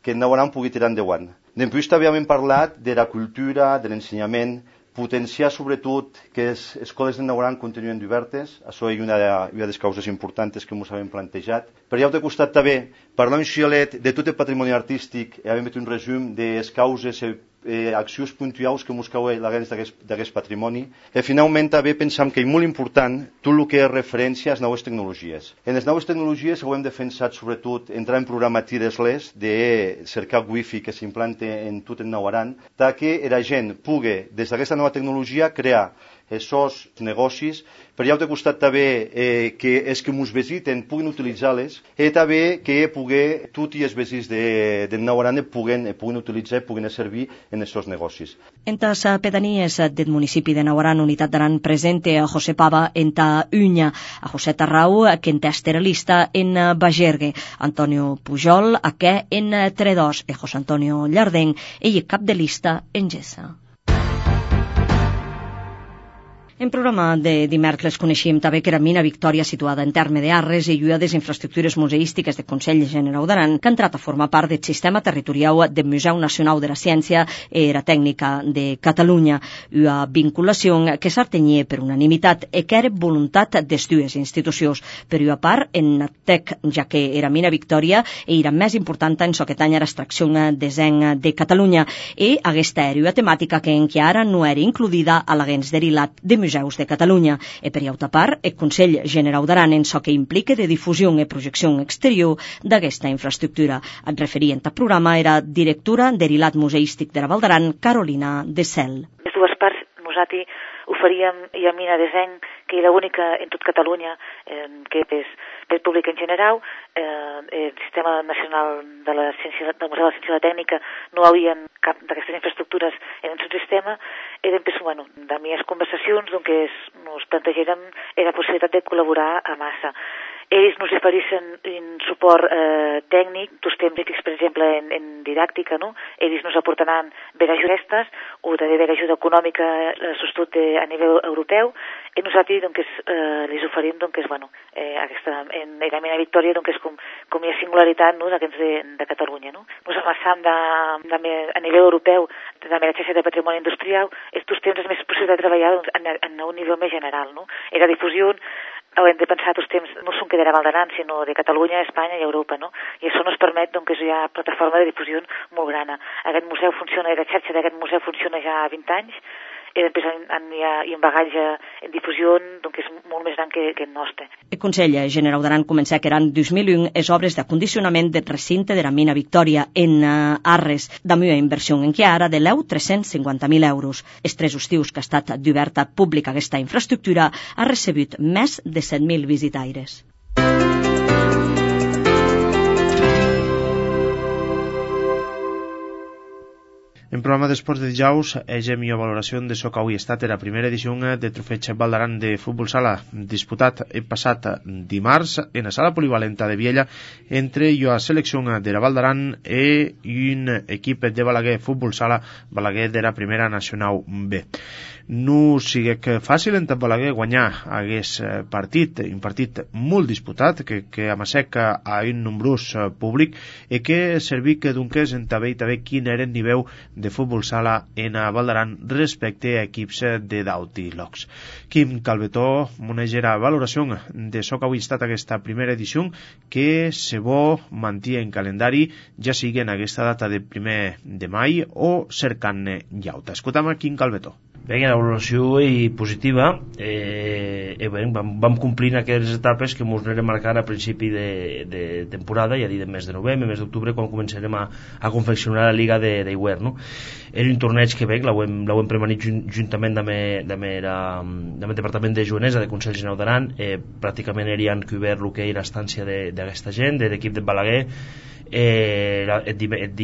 Speaker 18: que en Nauaran pugui tirar endavant. Després també hem parlat de la cultura, de l'ensenyament, potenciar sobretot que les escoles de Nauaran continuen obertes, això és una de les causes importants que ens hem plantejat. Però ja ho he costat també parlar un xialet de tot el patrimoni artístic i hem fet un resum de les causes accions puntuals que ens cauen d'aquest patrimoni. I finalment també pensam que és molt important tot el que és referència a les noves tecnologies. En les noves tecnologies ho hem defensat sobretot entrar en programa Tires-les de cercar wifi que s'implante en tot el Nauaran, que la gent pugui des d'aquesta nova tecnologia crear aquests negocis, però ja ho he costat també que els que ens visiten puguin utilitzar-les i també que tots els veïns de Nauaran puguin utilitzar i puguin servir en aquests negocis.
Speaker 1: En les pedanies del municipi de Nauaran, Unitat d'Aran presenta a José Pava en ta Unya, a José Tarrau, que en ta esterelista en Bagergue, Antonio Pujol, que en Tredós, i José Antonio Llardeng, ell cap de lista en Gessa. En programa de dimecres coneixíem també que era Mina Victòria, situada en terme d'Arres i una de les infraestructures museístiques del Consell General d'Aran, que ha entrat a formar part del sistema territorial del Museu Nacional de la Ciència i la Tècnica de Catalunya, una vinculació que s'artenia per unanimitat i que era voluntat de les dues institucions. Per una part, en TEC, ja que era Mina Victòria era més important en so que tanya l'extracció de zinc de Catalunya, i aquesta era una temàtica que encara no era incluïda a l'agents derilat de Museus de Catalunya, i per altra part, el Consell General d'Aran en so que implica de difusió i projecció exterior d'aquesta infraestructura. Et referient al programa era directora d'Erilat Museístic de la Val d'Aran, Carolina de Cel.
Speaker 19: Les dues parts, nosaltres oferíem i a Mina de Zinc, que era l'única en tot Catalunya, que és per públic en general. El Sistema Nacional del Museu de la Ciència i la Tècnica no havia cap d'aquestes infraestructures en el seu sistema. Eren, de les conversacions que ens plantegèrem la possibilitat de col·laborar a massa. ells nos ofereixen un suport tècnic, tots temps, per exemple, en didàctica, no? Ells nos aportaran bé ajudes o també bé ajuda econòmica sostot a nivell europeu, i nosaltres les oferim en la mina Victòria és com hi ha singularitat de Catalunya. Ens amassam a nivell europeu també la xarxa de patrimoni industrial, estos temps és més possible de treballar en un nivell més general. I la difusió hem de pensar tots temps no són que de la Val d'Aran, sinó de Catalunya, Espanya i Europa, no? I això ens permet que hi ha plataforma de difusió molt gran. Aquest museu funciona, la xarxa d'aquest museu funciona ja 20 anys, i després hi ha un bagatge en difusió que és molt més gran que el nostre.
Speaker 1: El Consell Generau d'Aran comença que eren 2001 les obres d'acondicionament del recinte de la mina Victòria en Arres, d'amb una inversió en què ara de 350.000 euros. Els 3 estius que ha estat d'oberta pública aquesta infraestructura ha recebut més de 7.000 visitaires.
Speaker 20: En programa d'esports de dijous, hegem i valoració de so que avui ha estat la primera edició de Trofeig Val d'Aran de futbol sala, disputat el passat dimarts en la sala polivalenta de Viella entre la selecció de la Val d'Aran i un equip de Balaguer futbol sala, Balaguer de la primera nacional B. No sigui que fàcil en Balaguer guanyar hagués partit, un partit molt disputat, que amasseca a un nombrós públic i que serví que donques en també quin era el nivell de futbol sala en Val d'Aran respecte a equips de Dauti Locs. Quim Calvetó monegera valoració de so que avui ha estat aquesta primera edició que se bo mantia en calendari ja sigui en aquesta data de 1 de mai o cercant-ne llauta. Escoltam a Quim Calvetó.
Speaker 21: Bé, la valoració positiva, vam complint aquelles etapes que ens anirem marcant a principi de temporada, ja dir de mes de novembre, mes d'octubre, quan començarem a confeccionar la Liga d'Hivern, no? Era un torneig que l'hem premanit juntament amb el Departament de Joanesa de Consell Generau d'Aran, pràcticament havien cobert el que era l'estància d'aquesta gent, de l'equip de Balaguer. El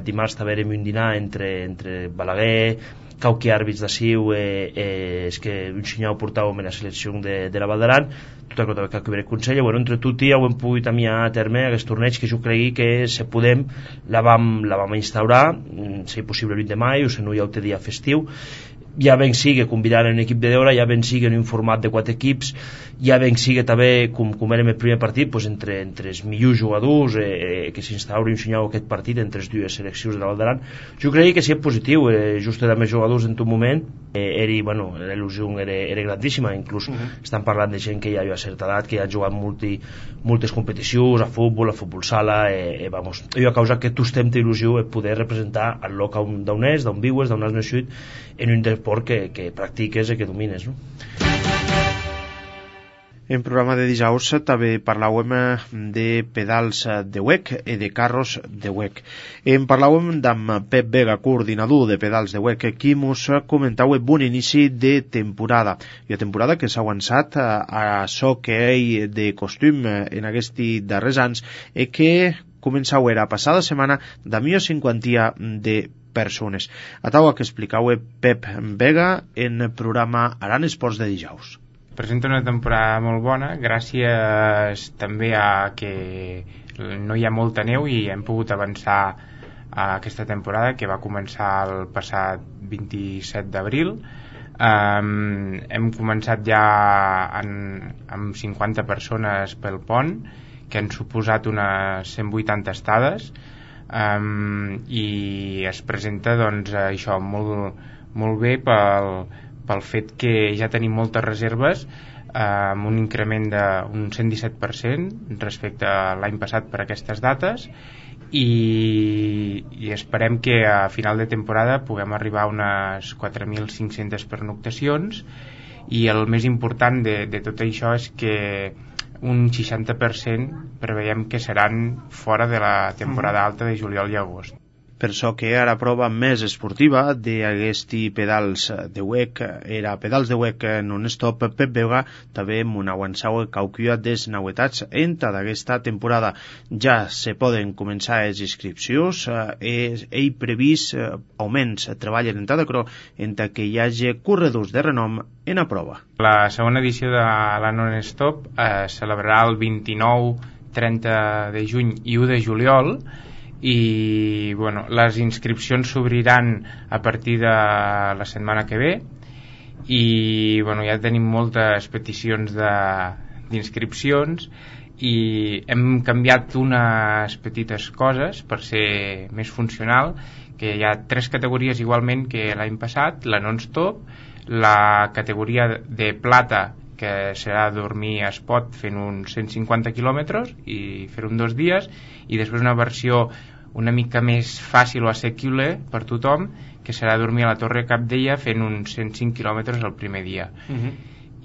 Speaker 21: dimarts també érem un dinar entre Balaguer, quauqui àrbits d'aciu és que un senyal portàvem en la selecció de la Val d'Aran, tot el que cobrir el Consell. Entre tot ho hem pogut a terme aquest torneig que jo cregui que se podem la vam instaurar, si possible el 20 de mai o si no hi ha el dia festiu. Ja ben sigui convidar un equip de deure, ja ben sigui en un format de 4 equips, ja ben sigui també, com érem el primer partit, entre els millors jugadors que s'instauri un senyal aquest partit entre les dues seleccions de la Val d'Aran. Jo crec que sí és positiu, just de més jugadors en tot moment, la il·lusió era grandíssima, inclús estan parlant de gent que ja hi ha certa edat, que ja ha jugat moltes competicions, a futbol sala, ha causat que tu estem d'il·lusió poder representar el lloc d'on és, d'on viues, d'on has nascut, en un esport que practiques i que domines, no?
Speaker 20: En programa de dijous també parlàvem de pedals de WEC i de carros de WEC. En parlàvem amb Pep Vega, coordinador de pedals de WEC, qui ens comentava bon inici de temporada. I a temporada que s'ha avançat a so que hi de costum en aquests darrers anys i que començava la passada setmana de 150 de persones. A taula que explicava Pep Vega en el programa Aran Esports de dijous.
Speaker 22: Presenta una temporada molt bona gràcies també a que no hi ha molta neu i hem pogut avançar a aquesta temporada que va començar el passat 27 d'abril. Hem començat ja amb 50 persones pel pont que han suposat unes 180 estades i es presenta això molt bé pel fet que ja tenim moltes reserves amb un increment d'un 117% respecte a l'any passat per aquestes dates i esperem que a final de temporada puguem arribar a unes 4.500 pernoctacions i el més important de tot això és que un 60% preveiem que seran fora de la temporada alta de juliol i agost.
Speaker 20: per so que era prova més esportiva d'aquesti pedals de WEC, era pedals de WEC non-stop. Pep Vega també m'unauançau cauquia des nauetats enta d'aquesta temporada. Ja se poden començar les inscripcions, ell previst augments treballen enta de cro enta que hi hagi corredors de renom en a prova.
Speaker 22: La segona edició de la non-stop es celebrarà el 29, 30 de juny i 1 de juliol, i bueno, les inscripcions s'obriran a partir de la setmana que ve, i bueno, ja tenim moltes peticions d'inscripcions i hem canviat unes petites coses per ser més funcional, que hi ha 3 categories igualment que l'any passat: la non-stop, la categoria de plata, que serà dormir a Espot fent uns 150 quilòmetres i fer-ho en 2 dies, i després una versió una mica més fàcil o assequible per tothom, que serà dormir a la Torre Cabdella fent uns 105 quilòmetres el primer dia.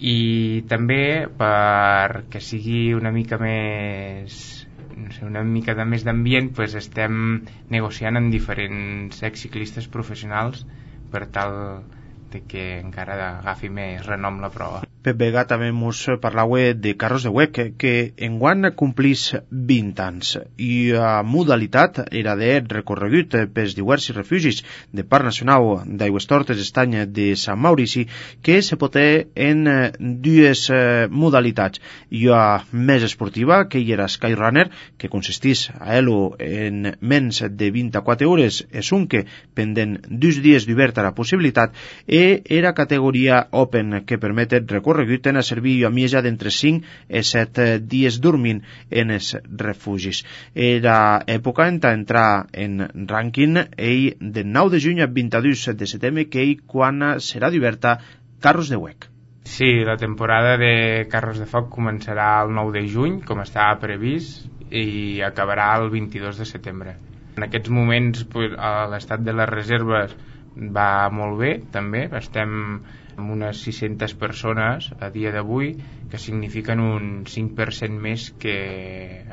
Speaker 22: I també perquè sigui una mica més, no sé, una mica de més d'ambient, pues estem negociant amb diferents exciclistes professionals per tal de que encara agafi més renom la prova.
Speaker 20: Pep Vega també mos parlava de Carros de WEC, que enguany complís 20 anys, i la modalitat era de recorregut pels diversos refugis de Parc Nacional d'Aigües Tortes Estany de Sant Maurici, que se pot en 2 modalitats. Hi ha més esportiva, que hi era Skyrunner, que consistís a ell en menys de 24 hores, és un que pendent 2 dies d'obert a la possibilitat, i era categoria Open, que permet recorregut en a servir a mieja d'entre 5 i 7 dies dormint en els refugis. Era època en entrar en rànquing ell del 9 de juny a 22 de setembre, que ell quan serà d'oberta Carros de WEC.
Speaker 22: Sí, la temporada de Carros de Foc començarà el 9 de juny, com estava previst, i acabarà el 22 de setembre. En aquests moments l'estat de les reserves va molt bé, també. Estem amb unes 600 persones a dia d'avui, que signifiquen un 5% més que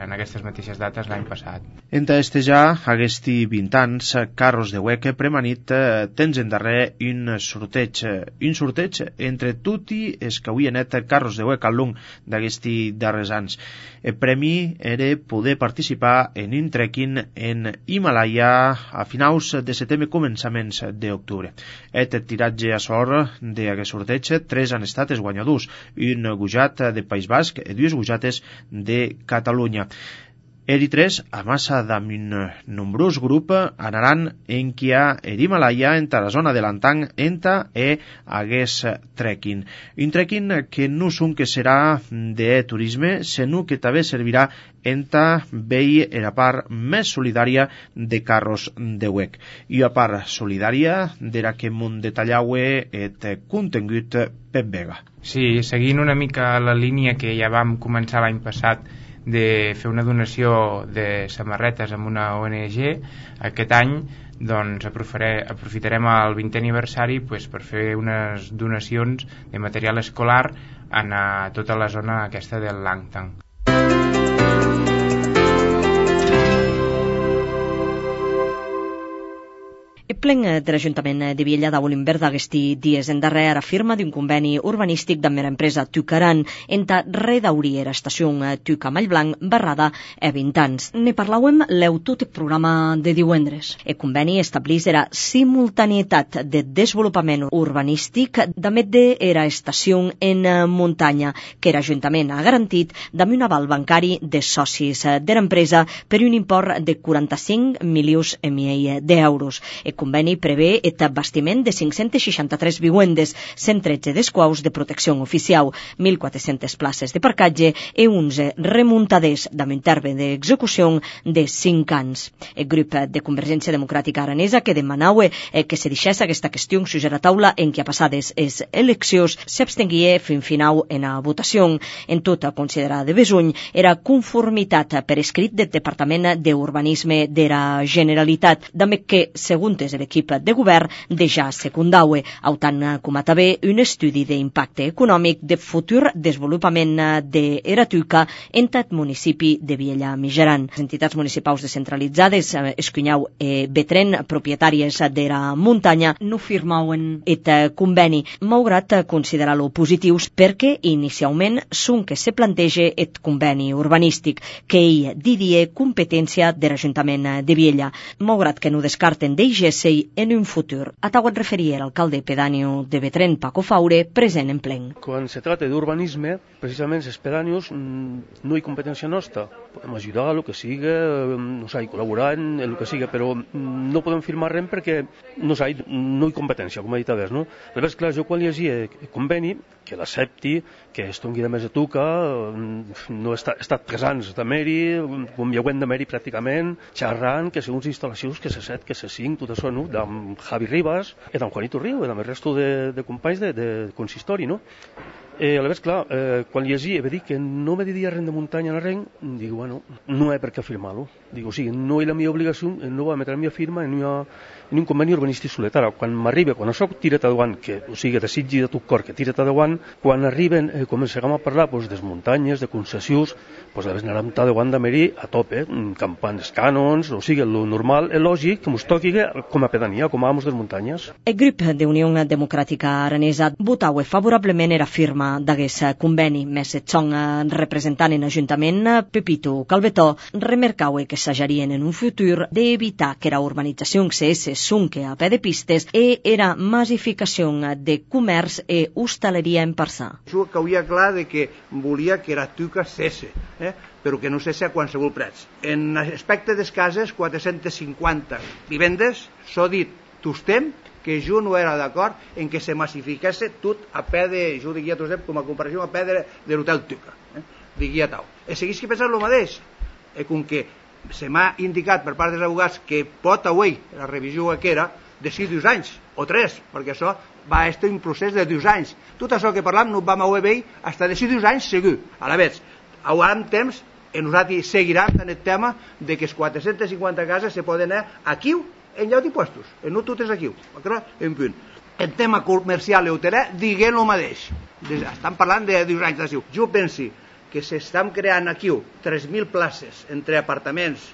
Speaker 22: en aquestes mateixes dates l'any passat.
Speaker 20: Enta ja aquesti 20 anys, Carros de WEC premanit tens en darrer un sorteig entre tutti els que avui anet Carros de WEC al long d'aquesti darrers anys. El premi era poder participar en un trekking en Himalaya a finals de setembre, començaments d'octubre. El tiratge a sort d'aquest sorteig, 3 han estat els guanyadors, un gujat de País Basc i 2 gujates de Catalunya. Eri 3, a massa d'un nombrós grup, anaran en qui ha l'Himalaya entre la zona de l'Antang enta hagués trekking. Un trekking que no és un que serà de turisme, sinó que també servirà enta vei la part més solidària de Carros de WEC. I a part solidària d'era que m'ho detallaue et contingut Pep Vega.
Speaker 22: Sí, seguint una mica la línia que ja vam començar l'any passat de fer una donació de samarretes amb una ONG, aquest any doncs aprofitarem el 20è aniversari per fer unes donacions de material escolar a tota la zona aquesta del Langtang.
Speaker 1: El plen de l'Ajuntament de Viella d'Aulimber d'aquesti dies en darrer afirma d'un conveni urbanístic amb l'empresa Tucaran enta redaurir l'estació Tuca Mallblanc barrada a 20 anys. Ne parlàvem l'eu tot el programa de divendres. El conveni establís la simultanietat de desenvolupament urbanístic damet de la estació en muntanya que l'Ajuntament ha garantit amb un aval bancari de socis de l'empresa per un import de 45 milions i mig d'euros. El conveni prevé el bastiment de 563 vivendes, 113 desquaus de protecció oficial, 1.400 places de parcatge i 11 remuntaders amb un terme d'execució de 5 anys. El grup de Convergència Democràtica Aranesa que demanava que se deixés aquesta qüestió sus la taula en què passades les eleccions s'abstenguia fins final en la votació. En tota considerada de besuny era conformitat per escrit del Departament d'Urbanisme de la Generalitat, també que, segons des l'equip de govern deja secundaue, autant com a també un estudi d'impacte econòmic de futur desenvolupament de Eratuca en tot municipi de Viella Mijaran. Les entitats municipals descentralitzades, Escunyau e Betren, propietàries d'era muntanya, no firmauen et conveni, malgrat considerar-lo positius perquè inicialment són que se planteja et conveni urbanístic, que ell diria competència de l'Ajuntament de Viella, malgrat que no descarten d'eiger-se en un futur. A tau et referia l'alcalde pedàneo de Betren, Paco Faure, present en plen.
Speaker 2: Quan se trata d'urbanisme, precisament els pedànios no hi ha competència nostra. Podem ajudar el que siga, no sé, col·laborar en el que siga, però no podem firmar res perquè no hi ha competència, com he dit abans, no? Aleshores, clar, jo quan llegia el conveni, que l'accepti, que es doni de més de Tuca, no he estat 3 anys de Meri, com hi ha de Meri pràcticament, xerrant, que segons instal·lacions, que se 7, que se 5, tot això, no? D'en Javi Ribas, i d'en Juanito Río, i d'en el resto de companys de consistori, no? Aleshores, clar, quan llegia, va dir que no me diria res de muntanya a res, dic, bueno, no hi ha per què firmar-lo. Dic, o sigui, no hi ha la meva obligació, no va metre la meva firma en un conveni urbanístic solet. Ara, quan m'arriba, quan això tira't endavant, o sigui, desitgi de tot cor que tira't endavant, quan arriben, començarem a parlar des muntanyes, de concessions, a vegades anarem endavant de Meri a tope, campant els cànons, o sigui, el normal, el lògic, que ens toqui com a pedania, com a amos de muntanyes.
Speaker 1: El grup d'Unió Democràtica Aranesa votau favorablement era firma d'aquest conveni, més et son representant en Ajuntament, Pepito Calvetó, remarcau que s'ajarien en un futur d'evitar que la urbanització se sunque a peu de pistes e era massificació de comerç e hostaleria en Parçà.
Speaker 3: Jo que havia clar de que volia que Eratuca cesse, però que no cesse a qualsevol preu. En aspecte de les cases, 450 vivendes, s'ha dit tostem que jo no era d'acord en que se massificés tot a peu de, jo diria tostem com a comparació a peu de l'hotel Tuca, diria tau. I seguís que pensar el mateix, com que se m'ha indicat per part dels abogats que pot avui la revisió que era de 2 anys o 3, perquè això va estar un procés de 2 anys. Tot això que parlam no vam haver veure fins de 2 anys segur. A la vegada, haurem temps i nosaltres seguirem en el tema de que les 450 cases se poden anar aquí en lloc d'impostos, no totes aquí, en punt. El tema comercial i hoteler diguem el mateix. Estan parlant de 2 anys d'ací. Jo penso que s'estan creant aquí 3.000 places entre apartaments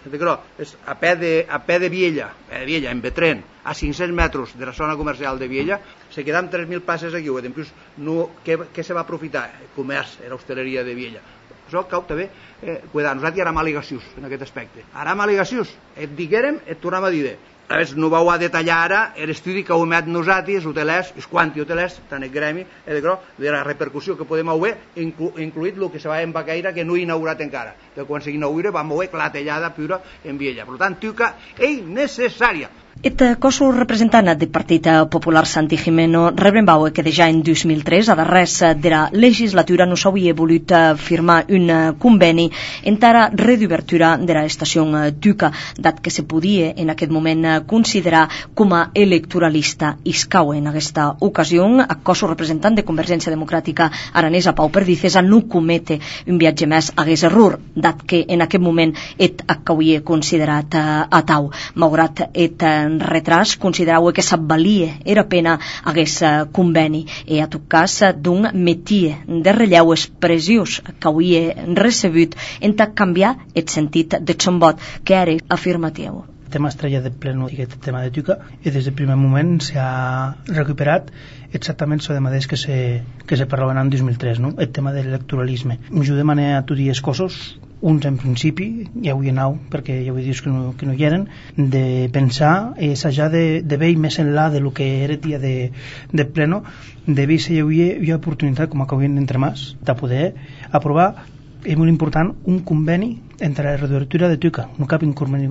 Speaker 3: a peu de Viella, en Betren, a 500 metres de la zona comercial de Viella, se quedan 3.000 places aquí. En plus, què se va aprofitar? El comerç, l'hostaleria de Viella. Això cau també cuidar. Nosaltres hi haurem al·legacions en aquest aspecte. Haurem al·legacions. Et diguérem, et tornem a dir. A veure, no vau a detallar ara l'estudi que heu emet nosaltres, hotelers, els quanti hotelers, tant el gremi, de la repercussió que podem haver, incluït el que se va en Baqueira, que no ha inaugurat encara. Que quan s'inaugura vam haver clatellada pura en Viella. Per tant, Tuca és necessària.
Speaker 1: Et cos representant del Partit Popular Santi Jimeno rebrembau que ja en 2003, a darrers de la legislatura, no s'havia volut firmar un conveni entara reobertura de l'estació Tuca, dat que se podia en aquest moment considerar com a electoralista iscau. En aquesta ocasió, el cos representant de Convergència Democràtica Aranesa, Pau Perdices, no comete un viatge més a error, dat que en aquest moment et havia considerat a tau, malgrat et retras considerau que s'avalia era pena hagués conveni i a tot cas d'un metier de relleu expressius que havia recebut en canviar el sentit de son vot que era afirmatiu.
Speaker 23: El tema estrella del pleno i aquest tema de Tuca i des del primer moment s'ha recuperat exactament el mateix que se parlava en 2003, no? El tema de l'electoralisme. Jo demané a tots els cossos, uns en principi, ja ho hi anau perquè ja ho he dit que no hi eren, de pensar i assajar de veure més enllà de lo que era el dia de pleno, de veure si hi ha oportunitat, com acabem d'entremàs, de poder aprovar, és molt important, un conveni entre la reobertura de Tuca, no cap un conveni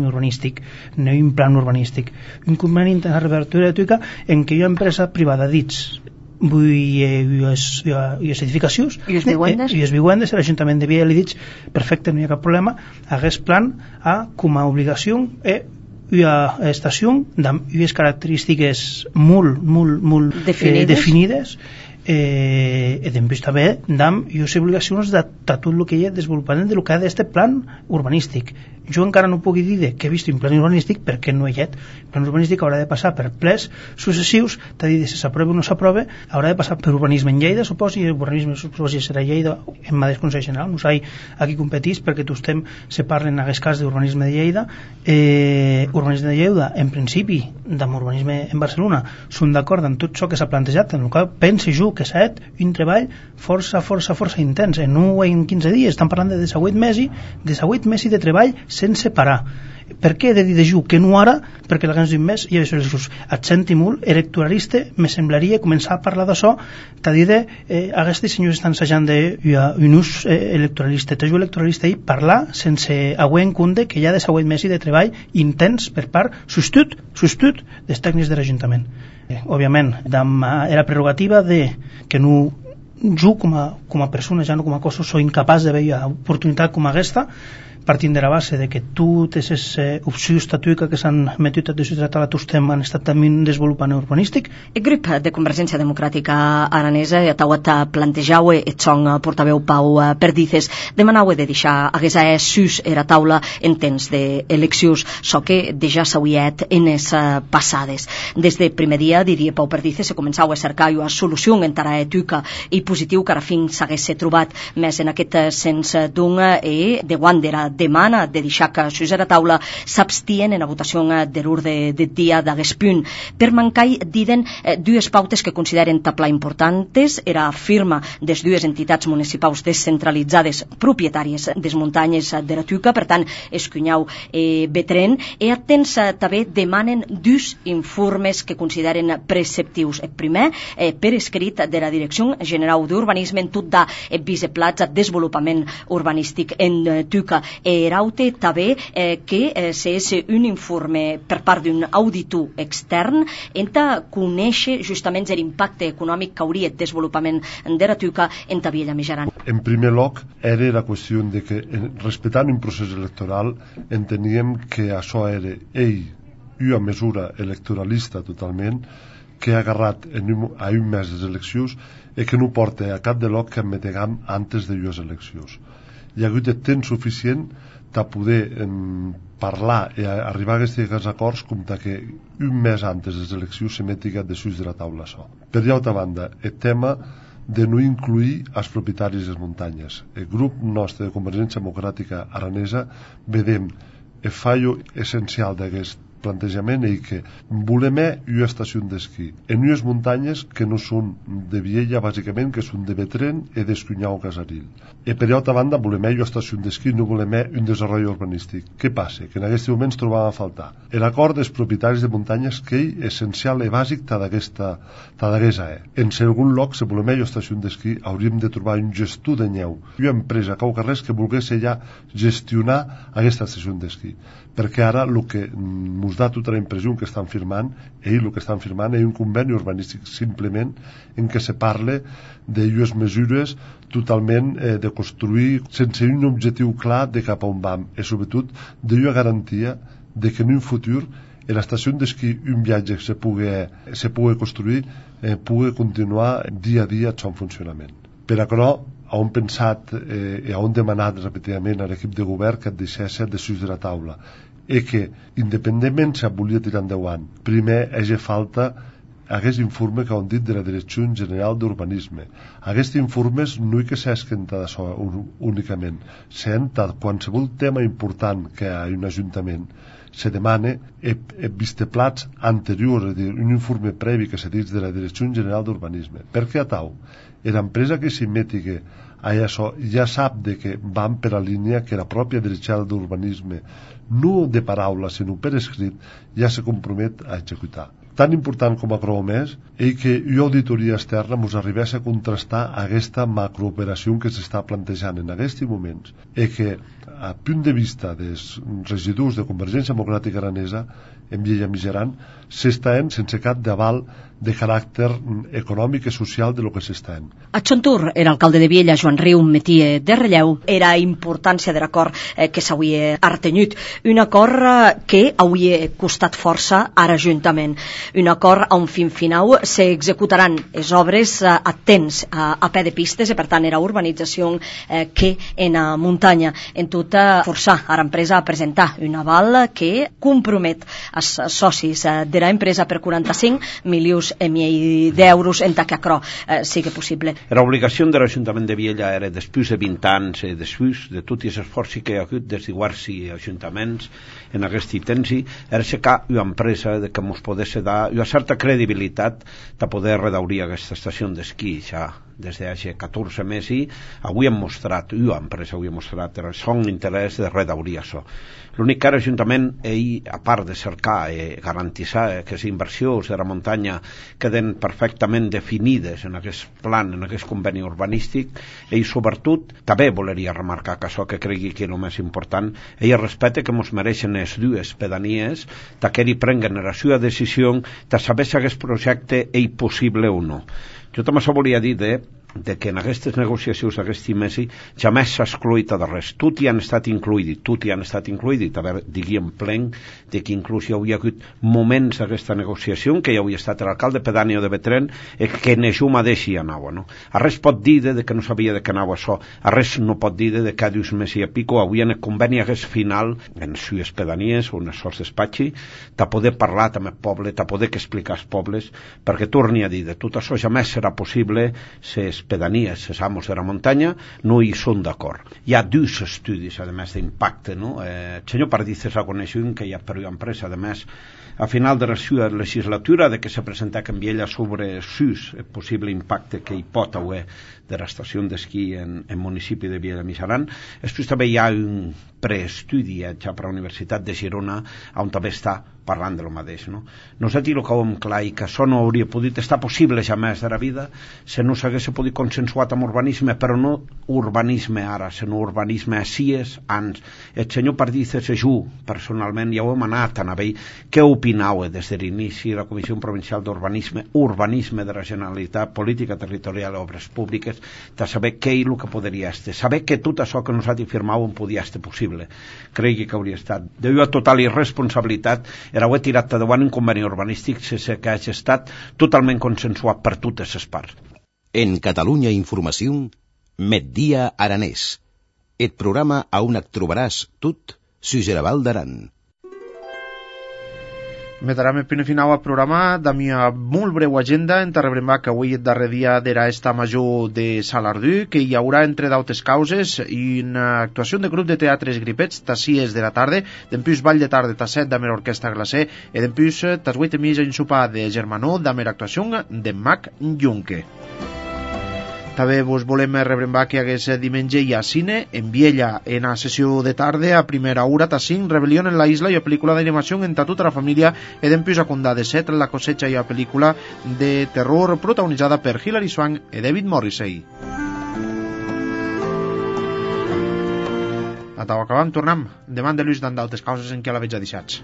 Speaker 23: urbanístic, no un plan urbanístic, un conveni entre la reobertura de Tuca en què hi ha empresa privada dits, i les edificacions i les vivendes, l'Ajuntament de Viella li dic perfecte, no hi ha cap problema, hagués plan com a obligació i a estació i les característiques molt definides després també dam les obligacions de tot el que hi ha desenvolupament del que ha d'este plan urbanístic. Jo encara no puc dir que he vist un plan urbanístic perquè no hi ha. El plan urbanístic haurà de passar per plens successius, t'ha dit si s'aprova o no s'aprova, haurà de passar per urbanisme en Lleida, suposo, i urbanisme suposo serà Lleida en Madrid Consell General, no sé aquí competís perquè tu estem se parlen en aquest cas d'urbanisme de Lleida. Urbanisme de Lleida, en principi, amb urbanisme en Barcelona, són d'acord amb tot això que s'ha plantejat, en el qual pense jo que s'ha fet un treball força intens, en 15 dies, estan parlant de 18 mesos de treball sense parar. Per què he de dir de ju que no ara? Perquè l'abans d'un mes hi ha eleccions. Et senti molt electoralista, me semblaria començar a parlar d'això, t'ha dit aquests senyors estan assajant d'un ús electoralista. T'ajuda electoralista i parlar sense haver en compte que hi ha 18 mesos de treball intens per part substitut dels tècnics de l'Ajuntament. Òbviament, era prerrogativa de que no jo com a persona, ja no com a cosa, soy incapaç de veure oportunitat com aquesta, partint de la base de que totes les opcions estatuiques que s'han metut a deshidratar a tots han estat també desenvolupant urbanístic.
Speaker 1: El grup de Convergència Democràtica Aranesa tauat plantejau et son portaveu Pau Perdices demanau de deixar hagués sus era taula en temps d'eleccions, so que deja s'auiet en es passades. Des de primer dia, diria Pau Perdices, se començau a cercar una solució entara etuca i positiu que ara fin s'hagués trobat més en aquest sens d'un de Wandera demana de deixar que sus a la taula s'abstien en la votació de l'ordre de dia d'hagués punt. Per mancar, diden dues pautes que consideren taplar importantes, era firma des dues entitats municipals descentralitzades propietàries des muntanyes de la Tuca, per tant, escunyau Betren, i atents també demanen dos informes que consideren preceptius. El primer, per escrit de la Direcció General d'Urbanisme en tot de viceplats a desenvolupament urbanístic en Tuca. Eraute també que és un informe per part d'un auditor extern enta conèixer justament l'impacte econòmic que hauria el desenvolupament de la Tuca en Viella Mijaran.
Speaker 4: En primer lloc, era la qüestió de que, respectant un procés electoral, enteníem que això era una mesura electoralista totalment, que ha agarrat a un mes de eleccions i que no porta a cap de lloc que admetegam antes de les eleccions. Hi ha hagut de temps suficient de poder parlar i arribar a aquests acords com que un mes antes de les eleccions se metiga de sus de la taula això. Per l'altra banda, el tema de no incluir els propietaris de les muntanyes. El grup nostre de Convergència Democràtica Aranesa vedem el fallo essencial d'aquest plantejament és que volem una estació d'esquí en unes muntanyes que no són de Viella, bàsicament, que són de Betren i d'Escunyau Casaril. I per altra banda volem una estació d'esquí, no volem un desenvolupament urbanístic. Què passa? Que en aquest moment ens trobàvem a faltar l'acord dels propietaris de muntanyes, que és essencial i bàsic d'aquesta En segon lloc, si volem una estació d'esquí, hauríem de trobar un gestor de neu, una empresa cau carrers que volgués ja gestionar aquesta estació d'esquí, perquè ara el que ens dà tota la impressió que estan firmant, el que estan firmant és un conveni urbanístic simplement en què se parla d'unes mesures totalment de construir sense un objectiu clar de cap a on vam, i sobretot d'una garantia de que en un futur l'estació d'esquí, un viatge que se pugui construir, pugui continuar dia a dia en funcionament. Per això, hem pensat i hem demanat repetidament a l'equip de govern que et deixés de sus de la taula i que, independentment si volia tirar endavant, primer hagi falta aquest informe que han dit de la Direcció General d'Urbanisme. Aquests informes no hi que s'esquen d'això únicament, sent qualsevol tema important que hi ha en un ajuntament se demana visteplats anteriors, és a dir, un informe previ que se dit de la Direcció General d'Urbanisme. Per què a tau? L'empresa que s'hi metiga a això ja sap de que van per la línia que la pròpia Direcció d'Urbanisme, no de paraula, sinó per escrit, ja se compromet a executar. Tan important com a Cromés és que una auditoria externa ens arribés a contrastar aquesta macrooperació que s'està plantejant en aquests moments i que, a punt de vista dels residus de Convergència Democràtica Aranesa, en Viella Mijaran, s'estan sense cap d'aval de caràcter econòmic i social de lo que s'estan.
Speaker 1: A Xontur, l'alcalde de Viella, Joan Riu, metia de relleu era importància de l'acord que s'hauria artenyut, un acord que hauria costat força a l'Ajuntament. un acord a un fin final s'executaran les obres a temps, a pè de pistes, i per tant era urbanització que en muntanya. En tot, forçar a l'empresa a presentar un aval que compromet els socis de l'empresa per 45 milions i mig d'euros en que això sigui possible.
Speaker 17: La obligació de l'Ajuntament de Viella era, després de 20 anys, després de tots els esforços que hi ha hagut des d'iguals i ajuntaments en aquest temps, era aixecar una empresa que ens pogués dar una certa credibilitat de poder redaurir aquesta estació d'esquí ja des de 14 mesos. Avui hem mostrat, una empresa avui ha mostrat el son interès de redaurir això. L'únic que l'Ajuntament, a part de cercar i garantir que les inversions de la muntanya queden perfectament definides en aquest plan, en aquest conveni urbanístic, ell sobretot també voleria remarcar que això que cregui que és el més important, ell respecta que ens mereixen les dues pedanies que ells prenguen la seva decisió de saber si aquest projecte és possible o no. Jo també això volia dir de que en aquestes negociacions d'aquest mes jamais s'ha excluït de res. Tot hi han estat incluït, diguem plen de que inclús hi havia hagut moments d'aquesta negociació que hi havia estat l'alcalde pedàneo de Betren que en això mateix hi anava, no? A res pot dir de que no sabia de què anava això, a res no pot dir de que dius mes i a pico avui en el conveni hagués final en les pedanies o en els sols despatxi de poder parlar amb el poble, de poder explicar als pobles, perquè torni a dir de tot això jamais serà possible les pedanies, els amos de la muntanya no hi són d'acord. Hi ha dos estudis a més d'impacte, no? El senyor Pardices reconeix un que hi ha per una empresa, a més a final de la seva legislatura de que se presenta en Viella sobre el possible impacte que hi pot haver de l'estació d'esquí en municipi de Viella Missaran. Després també hi ha un preestudi ja per a la Universitat de Girona on també està parlant de lo mateix, no? Nosaltres el que ho hem clar i que això no hauria pogut estar possible jamais de la vida si no s'hagués pogut consensuat amb urbanisme, però no urbanisme ara, sinó urbanisme asies ans. El senyor Pardices i jo personalment ja ho hem anat a ell. Què opinau des de l'inici de la Comissió Provincial d'Urbanisme, urbanisme de la Generalitat, política territorial i obres públiques, de saber què és el que podria estar, saber que tot això que nosaltres firmàvem podia estar possible. Cregui que hauria estat de total irresponsabilitat era haver tirat endavant un conveni urbanístic sense que hagi estat totalment consensuat per totes les parts.
Speaker 9: En Catalunya Informació, Migdia Aranès. El programa on et trobaràs tot sus el Val d'Aran.
Speaker 20: Metarem el primer final al programa de mi molt breu agenda. En rebrem que avui el darrer dia de l'esta major de Salardú, que hi haurà entre d'altres causes una actuació de grup de teatres gripets a 6 de la tarda, d'empús ball de tarda a 7 d'amera orquestra glacé i d'empús a 8 mig en sopar de germanó d'amera actuació de Mac Junque. També vos volem rebrembar que hagués diumenge hi ha cine en Viella en la sessió de tarda a primera hora a 5, Rebelión en la isla i la pel·lícula d'animació entre tota la família i d'empús a Condà de 7, La cosecha i la pel·lícula de terror protagonitzada per Hilary Swank i David Morrissey. A tau acabam, tornem. Demà de Lluís d'altres causes en què la veig a deixats.